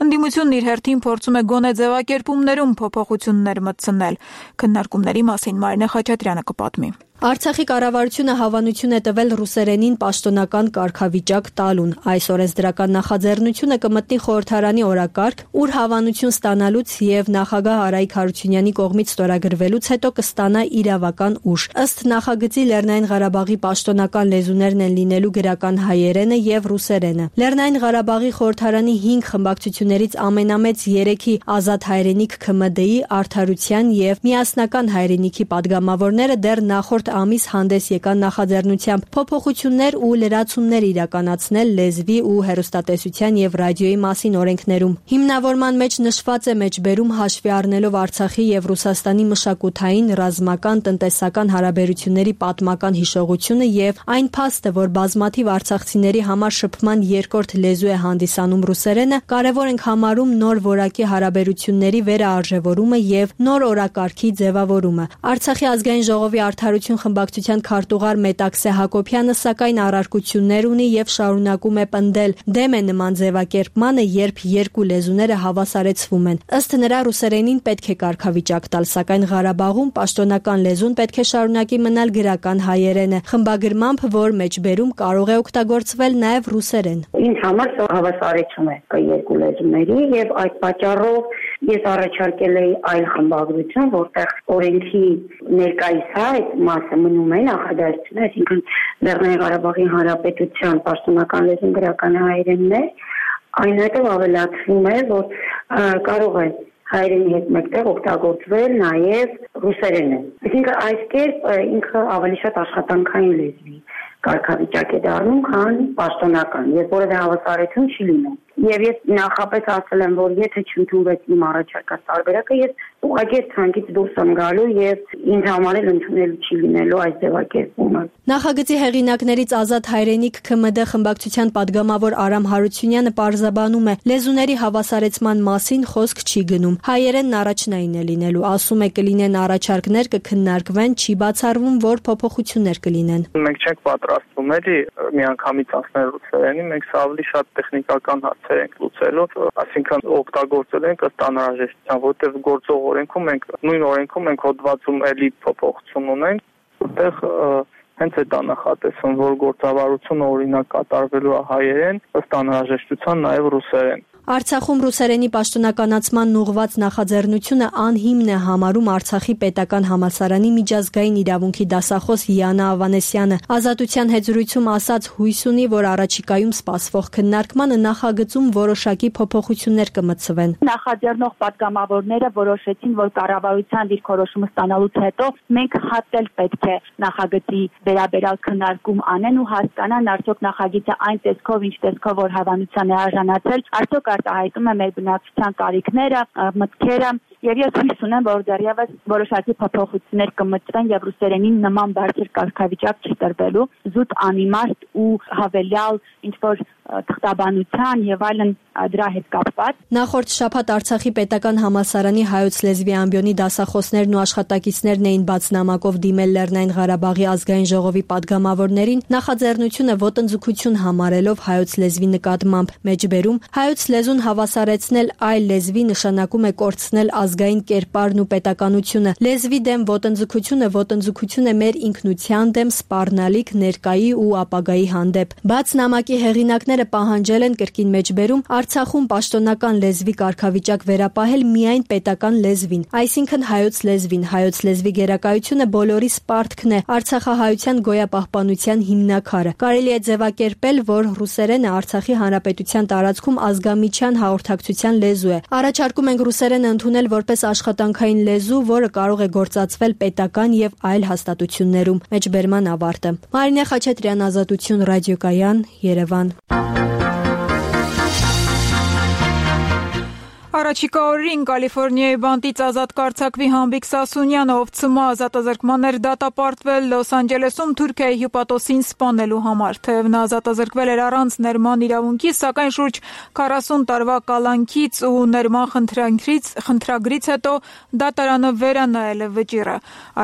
Speaker 1: Ընդդիմությունն իր հերթին փորձում է գոնե ձևակերպումներում փոփոխություններ մտցնել։ Քննարկումների մասին Մարինե Խաչատրյանը կպատմի։
Speaker 4: Արցախի կառավարությունը հավանություն է տվել ռուսերենին պաշտոնական կարգավիճակ տալուն։ Այս օրենսդրական նախաձեռնությունը կմտնի խորհրդարանի օրակարգ, ուր հավանություն ստանալուց եւ նախագահ Արայիկ Հարությունյանի կողմից ստորագրվելուց հետո կստանա իրավական ուժ։ Ըստ նախագծի Լեռնային Ղարաբաղի պաշտոնական լեզուներն են լինելու գրական հայերենը եւ ռուսերենը։ Լեռնային Ղարաբաղի խորհրդարանի հինգ խմբակցություններից ամենամեծ երեքի Ազատ հայրենիք ՔՄԴ-ի, Արդարության եւ Միասնական հայրենիքի падգամավորները դեռ նախորդ երրորդ ամիս հանդես եկան նախաձեռնությամբ փոփոխություններ ու լրացումներ իրականացնել լեզվի ու հեռուստատեսության եւ ռադիոյի մասին օրենքներում։ Հիմնավորման մեջ նշված է մեջբերում հաշվի առնելով Արցախի եւ Ռուսաստանի մշակութային, ռազմական, տնտեսական հարաբերությունների պատմական հիշողությունը եւ այն փաստը, որ բազմաթիվ արցախցիների համար շփման երկրորդ լեզու է հանդիսանում ռուսերենը, կարևոր ենք համարում նոր որակի հարաբերությունների վերաարժևորումը եւ նոր օրակարգի ձևավորումը։ Արցախի ազգային ժողովի Արդարություն խմբակցության քարտուղար Մետաքսե Հակոբյանը սակայն առարկություններ ունի եւ շարունակում է պնդել դեմ է նման ձևակերպմանը, երբ երկու լեզուները հավասարեցվում են։ Ըստ նրա ռուսերենին պետք է կարգավիճակ տալ, սակայն Ղարաբաղում պաշտոնական լեզուն պետք է շարունակի մնալ գրական հայերենը, խմբագրմամբ, որ մեջբերում կարող է օգտագործվել նաեւ ռուսերեն։
Speaker 2: Ինձ համար հավասարեցում է երկու լեզուների եւ այդ պատճառով ես առաջարկել էի այլ խմբագրություն, որտեղ օրենքի ներկայիս այդ մասը մնում է նախադասությունը, այսինքն Լեռնային Ղարաբաղի Հանրապետության պաշտոնական լեզուն գրական հայերենն է, այնուհետև ավելացվում է, որ կարող է հայերենի հետ մեկտեղ օգտագործվել նաև ռուսերենը։ Այսինքն այս կերպ ինքը ավելի շատ աշխատանքային լեզվի կարգավիճակ է դառնում, քան պաշտոնական, երբ որևէ հավասարություն չի լինում։ Եվ ես նախապես ասել եմ, որ եթե չընդունվեց իմ առաջարկած տարբերակը, ես ուղղակի ցանկից դուրս եմ գալու եւ ինձ համար էլ ընդունելու չի լինելու այս ձևակերպումը։
Speaker 4: Նախագծի հեղինակներից Ազատ Հայրենիք ՔՄԴ խմբակցության падգամավոր Արամ Հարությունյանը պարզաբանում է, լեզուների հավասարեցման մասին խոսք չի գնում։ Հայերենն առաջնային է լինելու, ասում է, կլինեն առաջարկներ, կքննարկվեն, չի բացառվում, որ փոփոխություններ կլինեն։
Speaker 6: Մենք չենք պատրաստվում էլի միանգամից անցնել ռուսերենի, մենք սա ավելի շատ տեխնիկական հարցեր ենք լուծելու, այսինքն օգտագործել ենք ըստ անհրաժեշտության, որտեղ գործող օրենքում մենք նույն օրենքում մենք հոդվածում էլի փոփոխություն ունենք, որտեղ հենց այդ է նախատեսվում, որ գործավարությունը օրինակ կատարվելու է հայերեն, ըստ անհրաժեշտության նաև ռուսերեն։
Speaker 4: Արցախում ռուսերենի պաշտոնականացման ուղղված նախաձեռնությունը անհիմն է համարում Արցախի պետական համալսարանի միջազգային իրավունքի դասախոս Յանա Ավանեսյանը։ Ազատության հետ զրույցում ասաց հույս ունի, որ առաջիկայում սպասվող քննարկմանը նախագծում որոշակի փոփոխություններ կմտցվեն։
Speaker 23: Նախաձեռնող падգամավորները որոշեցին, որ կառավարության դիրքորոշումը ստանալուց հետո մենք հատել պետք է նախագծի վերաբերյալ քննարկում անեն ու հասկանան արդյոք նախագիծը այն տեսքով, ինչ տեսքով որ հավանության է արժանացել, արդյոք արտահայտում է մեր բնակչության կարիքները, մտքերը, եւ ես հույս ունեմ, որ դեռևս որոշակի փոփոխություններ կմտցվեն եւ ռուսերենին նման բարձր կարգավիճակ չի տրվելու, զուտ անիմաստ ու հավելյալ ինչ որ թղթաբանության եւ այլն դրա հետ կապված։
Speaker 4: Նախորդ շաբաթ Արցախի պետական համալսարանի հայոց լեզվի ամբիոնի դասախոսներն ու աշխատակիցներն էին բաց նամակով դիմել Լեռնային Ղարաբաղի ազգային ժողովի падգամավորներին նախաձեռնությունը ոտնձգություն համարելով հայոց լեզվի նկատմամբ մեջբերում հայոց լեզուն հավասարեցնել այլ լեզվի նշանակում է կորցնել ազգային կերպարն ու պետականությունը։ Լեզվի դեմ ոտնձգությունը ոտնձգություն է մեր ինքնության դեմ սպառնալիք ներկայի ու ապագայի հանդեպ։ Բաց նամակի հեղինակները պահանջել են կրկին մեջբերում Արցախում պաշտոնական լեզվի կարգավիճակ վերապահել միայն պետական լեզվին, այսինքն հայոց լեզվին։ Հայոց լեզվի գերակայությունը բոլորի սպարտքն է, արցախահայության գոյապահպանության հիմնաքարը։ Կարելի է ձևակերպել, որ ռուսերենը Արցախի հանրապետության տարածքում ազգամիջյան հաղորդակցության լեզու է։ Առաջարկում ենք ռուսերենը ընդունել որպես աշխատանքային լեզու, որը կարող է գործածվել պետական եւ այլ հաստատություններում։ Մեջբերման ավարտը։ Մարինե Խաչատրյան, Ազատություն, ռադիոկայան, Երևան։
Speaker 1: Առաջիկա օրերին Կալիֆոռնիայի բանտից ազատ կարձակվի Համբիկ Սասունյանը, ով ցմահ ազատազրկման էր դատապարտվել Լոս Անջելեսում Թուրքիայի հյուպատոսին սպանելու համար։ Թեև նա ազատազրկվել էր առանց ներման իրավունքի, սակայն շուրջ քառասուն տարվա կալանքից ու ներման խնդրանքից խնդրագրից հետո դատարանը վերանայել է վճիռը,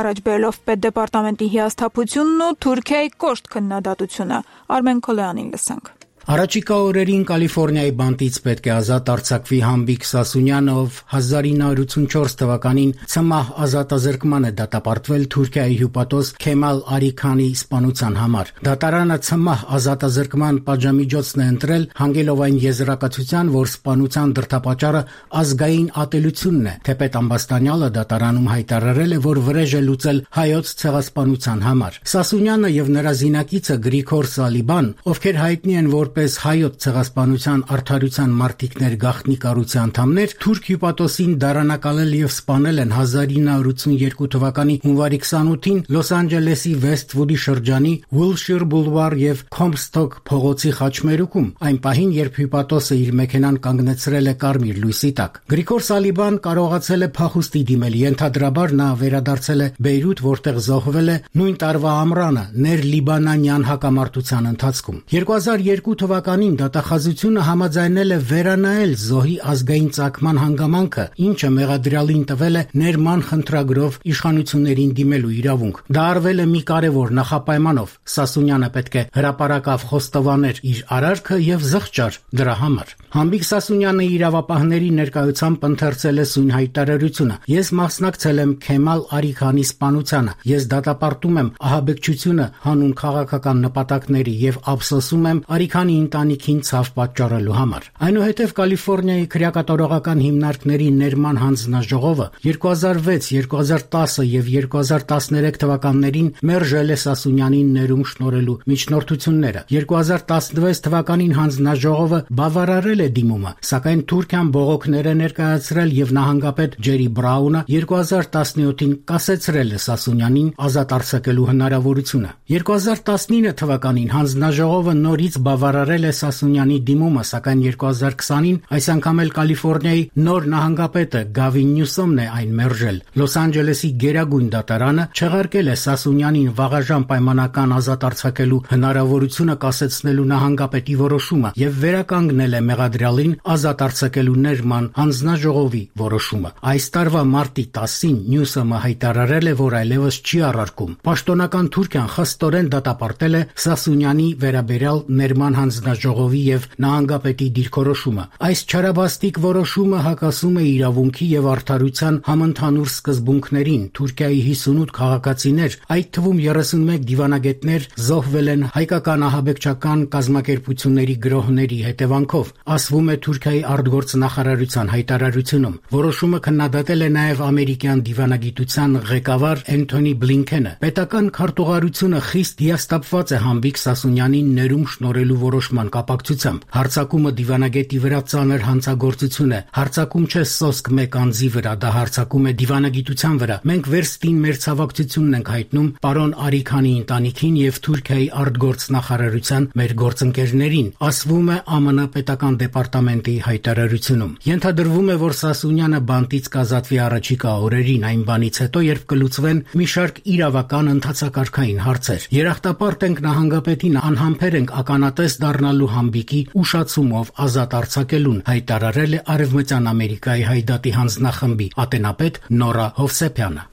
Speaker 1: առաջ բերելով պետդեպարտամենտի հիասթափությունն ու Թուրքիայի կոշտ քննադատությունը։ Արմեն Քոլյանին լսենք։
Speaker 24: Առաջիկա օրերին Կալիֆոռնիայի բանտից պետք է ազատ արձակվի Համբիկ Սասունյանը, ով հազար ինը հարյուր ութսունչորս թվականին ցմահ ազատազրկման է դատապարտվել Թուրքիայի հյուպատոս Քեմալ Արիքանի սպանության համար։ Դատարանը ցմահ ազատազրկման պատժամիջոցն է ընտրել, հանգելով այն եզրակացության, որ սպանության դրդապատճառը ազգային ատելությունն է։ Թեպետ Ամբաստանյալը դատարանում հայտարարել է, որ վրեժ է լուծել հայոց ցեղասպանության համար։ Սասունյանը եւ նրա զինակիցը Գրիգոր Սալիբան, ովքեր հայտնի են որ որպես հայոց ցեղասպանության արդարության մարտիկներ գաղտնի կառույցի անդամներ թուրք հյուպատոսին դարանակալել եւ սպանել են հազար ինը հարյուր ութսունյերկու թվականի հունվարի քսանութին Լոս Անջելեսի Վեսթվուդի շրջանի Wilshire Boulevard եւ Comstock փողոցի խաչմերուկում, այն պահին, երբ հյուպատոսը իր մեքենան կանգնեցրել է կարմիր լույսի տակ։ Գրիգոր Սալիբան կարողացել է փախուստի դիմել, ենթադրաբար նա վերադարձել է Բեյրութ, որտեղ զոհվել է նույն տարվա ամռանը ներ-լիբանանյան հակամարտության ընթացքում։ երկու հազար երկու թվականին դատախազությունը համաձայնել է վերանայել զոհի ազգային ծագման հանգամանքը, ինչը մեղադրյալին տվել է ներման խնդրագրով իշխանություններին դիմելու իրավունք։ Դա արվել է մի կարևոր նախապայմանով։ Սասունյանը պետք է հրապարակավ խոստովաներ իր արարքը եւ զղջար դրա համար։ Համբիկ Սասունյանը իրավապահների ներկայությամբ ընթերցել է սույն հայտարարությունը։ Ես մասնակցել եմ Քեմալ Արիքանի սպանությանը։ Ես դատապարտում եմ ահաբեկչությունը հանուն քաղաքական նպատակների եւ ափսոսում եմ Արիքանի ընտանիքին ցավ պատճառելու համար։ Այնուհետև Կալիֆոռնիայի քրեակատարողական հիմնարկների ներման հանձնաժողովը երկու հազար վեց, երկու հազար տասը եւ երկու հազար տասներեք թվականներին մերժել է Սասունյանին ներում շնորհելու միջնորդությունները։ երկու հազար տասնվեց թվականին հանձնաժողովը բավարարել է դիմումը, սակայն Թուրքիան բողոքներ է ներկայացրել եւ նահանգապետ Ջերի Բրաունը երկու հազար տասնյոթին կասեցրել է Սասունյանին ազատ արձակելու հնարավորությունը։ երկու հազար տասնինը թվականին հանձնաժողովը նորից բավարարել է Սասունյանի դիմումը, սակայն երկու հազար քսանին այս անգամ էլ Կալիֆոռնիայի նոր նահանգապետը Գավին Նյուսոմն է այն մերժել։ Լոս Անջելեսի գերագույն դատարանը չեղարկել է Սասունյանին վաղաժամ պայմանական ազատ արձակելու հնարավորությունը կասեցնելու նահանգապետի որոշումը եւ վերականգնել է մեղադրյալին ազատ արձակելու ներման հանձնաժողովի որոշումը։ Այս տարվա մարտի տասին Նյուսոմը հայտարարել է, որ այլևս չի առարկում։ Պաշտոնական Թուրքիան խստորեն դատապարտել է Սասունյանի վերաբերյալ ներման հանձնաժողովի եւ նահանգապետի դիրքորոշումը։ Այս չարաբաստիկ որոշումը հակասում է իրավունքի եւ արդարության համընդհանուր սկզբունքներին։ Թուրքիայի հիսունութ քաղաքացիներ, այդ թվում երեսունմեկ դիվանագետներ զոհվել են հայկական ահաբեկչական կազմակերպությունների գրոհների հետևանքով, ասվում է Թուրքիայի արտգործ նախարարության հայտարարությունում։ Որոշումը քննադատել է նաեւ ամերիկյան դիվանագիտության ղեկավար Էնթոնի Բլինքենը։ Պետական քարտուղարությունը խիստ հիասթափված է Համբիկ Սասունյանին ներում շնորհելու որոշման կապակցությամբ։ Հարձակումը դիվանագետի վրա ծանր հանցագործություն է։ Հարձակում չէ սոսկ մեկ անձի վրա, դա հարձակում է դիվանագիտության վրա։ Մենք վերստին մեր ցավակցությունն ենք հայտնում պարոն Արիքանի ընտանիքին եւ Թուրքիայի արտգործ նախարարության մեր գործընկերներին, ասվում է ԱՄՆ պետական դեպարտամենտի հայտարարությունում։ Ենթադրվում է, որ Սասունյանը բանտից կազատվի առաջիկա օրերին, այն բանից հետո, երբ կլուծվեն մի շարք իրավական ընթացակարգային հարցեր։ Երախտապարտ ենք նահանգապետին, անհամբեր ենք ականատես դառնալու Համբիկի ուշացումով ազատ արձակելուն, հայտարարել է Արևմտյան Ամերիկայի հայդատի հանձնախմբի ատենապետ Նորա Հովսեփյանը։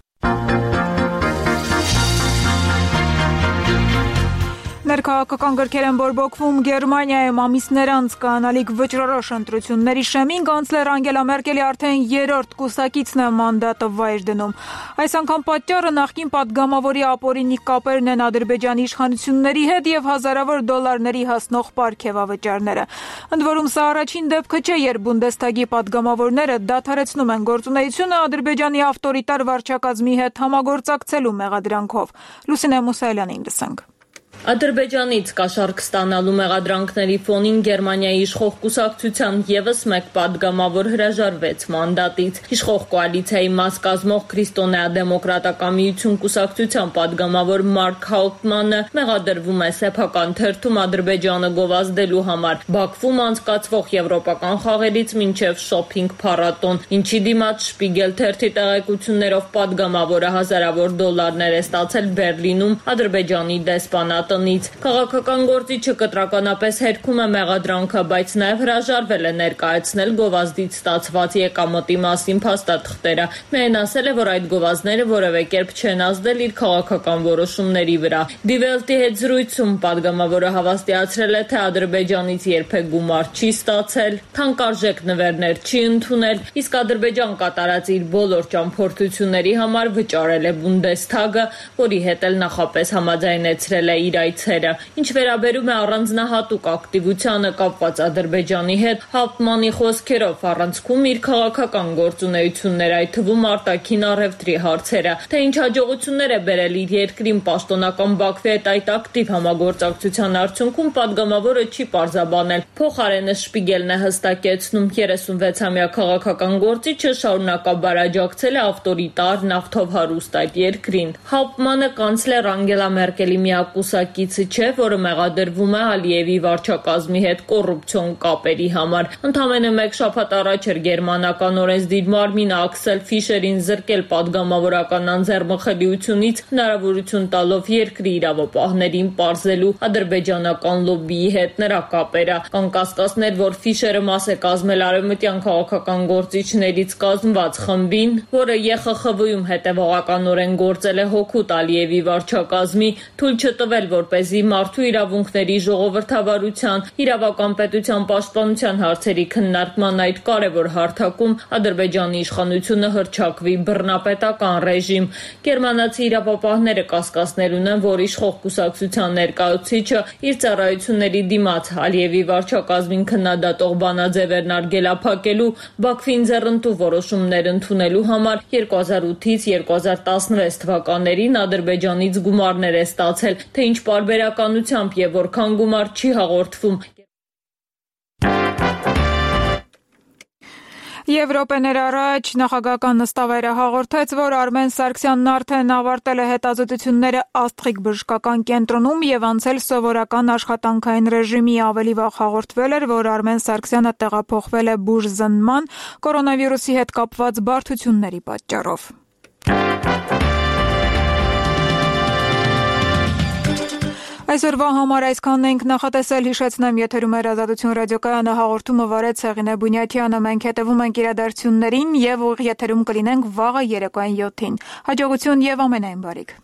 Speaker 1: Ներքաղաքական գրքեր են բորբոքվում Գերմանիայում ամիսներ անց կանալիք վճռորոշ ընտրությունների շեմին կանցլեր Անգելա Մերկելի արդեն երրորդ կուսակիցն է մանդատը վայր դնում։ Այս անգամ պատճառը նախկին падգամավորի ապօրինի կապերն են Ադրբեջանի իշխանությունների հետ եւ հազարավոր դոլարների հասնող պարգևավճարները։ Ընդ որում սա առաջին դեպքը չէ, երբ Բունդեստագի падգամավորները դադարեցնում են գործունեությունը Ադրբեջանի ավտորիտար վարչակազմի հետ համագործակցելու մեղադրանքով։ Լուսինե Մուսայելյանին լսենք։
Speaker 5: Ադրբեջանից կաշառք ստանալու մեղադրանքների ֆոնին Գերմանիայի իշխող կուսակցության ևս մեկ падգամավոր հրաժարվեց մանդատից։ Իշխող կոալիցիայի մաս կազմող Քրիստոնեա-դեմոկրատական միություն կուսակցության падգամավոր Մարկ Հաուտմանը մեղադրվում է սեփական թերթում Ադրբեջանը գովազդելու համար Բաքվում անցկացվող եվրոպական խաղերից մինչև շոփինգ փառատոն, ինչի դիմաց Շպիգել թերթի տեղեկություններով падգամավորը հազարավոր դոլարներ է ստացել Բերլինում Ադրբեջանի դեսպանատ Քաղաքական գործիչը կտրականապես հերքում է մեղադրանքը, բայց նաև հրաժարվել է ներկայացնել գովազդից ստացված եկամտի մասին փաստաթղթերը։ Միայն ասել է, որ այդ գովազդները որևէ կերպ չեն ազդել իր քաղաքական որոշումների վրա։ Die Welt-ի հետ զրույցում падգամավորը հավաստիացրել է, թե Ադրբեջանից երբեք գումար չի ստացել, թանկարժեք նվերներ չի ընդունել, իսկ Ադրբեջան կատարած իր բոլոր ճամփորդությունների համար վճարել է Բունդեստագը, որի հետ էլ նախապես համաձայնեցրել է իր այցերը։ Ինչ վերաբերում է առանձնահատուկ ակտիվությանը կապված Ադրբեջանի հետ, Հաուպտմանի խոսքերով առանցքում իր քաղաքական գործունեությունները, այդ թվում արտաքին առևտրի հարցերը, թե ինչ հաջողություններ է բերել իր երկրին պաշտոնական Բաքվի հետ այդ ակտիվ համագործակցության արդյունքում պատգամավորը չի պարզաբանել։ Փոխարենը Շպիգելն է հստակեցնում, երեսունվեցամյա քաղաքական գործիչը շարունակաբար աջակցել է ավտորիտար նավթով հարուստ այդ երկրին։ Հաուպտմանը կանցլեր Անգելա Մերկելի միակ կուսակիցը չէ, որը մեղադրվում է Ալիևի վարչակազմի հետ կոռուպցիոն կապերի համար։ Ընդամենը մեկ շաբաթ առաջ էր գերմանական օրենսդիր մարմինը Աքսել Ֆիշերին զրկել պատգամավորական անձեռնխելիությունից, հնարավորություն տալով երկրի իրավապահներին պարզելու ադրբեջանական լոբբիի հետ նրա կապերը։ Կան կասկածներ, որ Ֆիշերը մաս է կազմել արևմտյան քաղաքական գործիչներից կազմված խմբին, որը Ե Խ Խ V-ում հետևողականորեն գործել է հօգուտ Ալիևի վարչակազմի, թույլ չտվել, որպեսզի մարդու իրավունքների ժողովրդավարության, իրավական պետության պաշտպանության հարցերի քննարկման այդ կարևոր հարթակում Ադրբեջանի իշխանությունը հռչակվի բռնապետական ռեժիմ։ Գերմանացի իրավապահները կասկածներ ունեն, որ իշխող կուսակցության ներկայացուցիչը իր ծառայությունների դիմաց Ալիևի վարչակազմին քննադատող բանաձևերն արգելափակելու, Բաքվին ձեռնտու որոշումներ ընդունելու համար երկու հազար ութից երկու հազար տասնվեց թվականներին Ադրբեջանից գումարներ է ստացել, թե ինչ պարբերականությամբ եւ որքան գումար չի հաղորդվում։
Speaker 1: Եվրոպեներ առաջ նախագահական նստավայրը հաղորդեց, որ Արմեն Սարգսյանն արդեն ավարտել է հետազոտությունները Աստղիկ բժշկական կենտրոնում եւ անցել սովորական աշխատանքային ռեժիմի։ Ավելի վաղ հաղորդվել էր, որ Արմեն Սարգսյանը տեղափոխվել է բուժզնման կորոնավիրուսի հետ կապված բարդությունների պատճառով։ Այսօրվա համար այսքանն ենք նախատեսել, հիշեցնեմ, եթերում էր Ազատություն ռադիոկայանը, հաղորդումը վարեց Հեղինե Բունյաթյանը, մենք հետևում ենք իրադարձություններին եւ ուղիղ եթերում կլինենք վաղը երեկոյան յոթին։ Հաջողություն եւ ամենայն բարիք։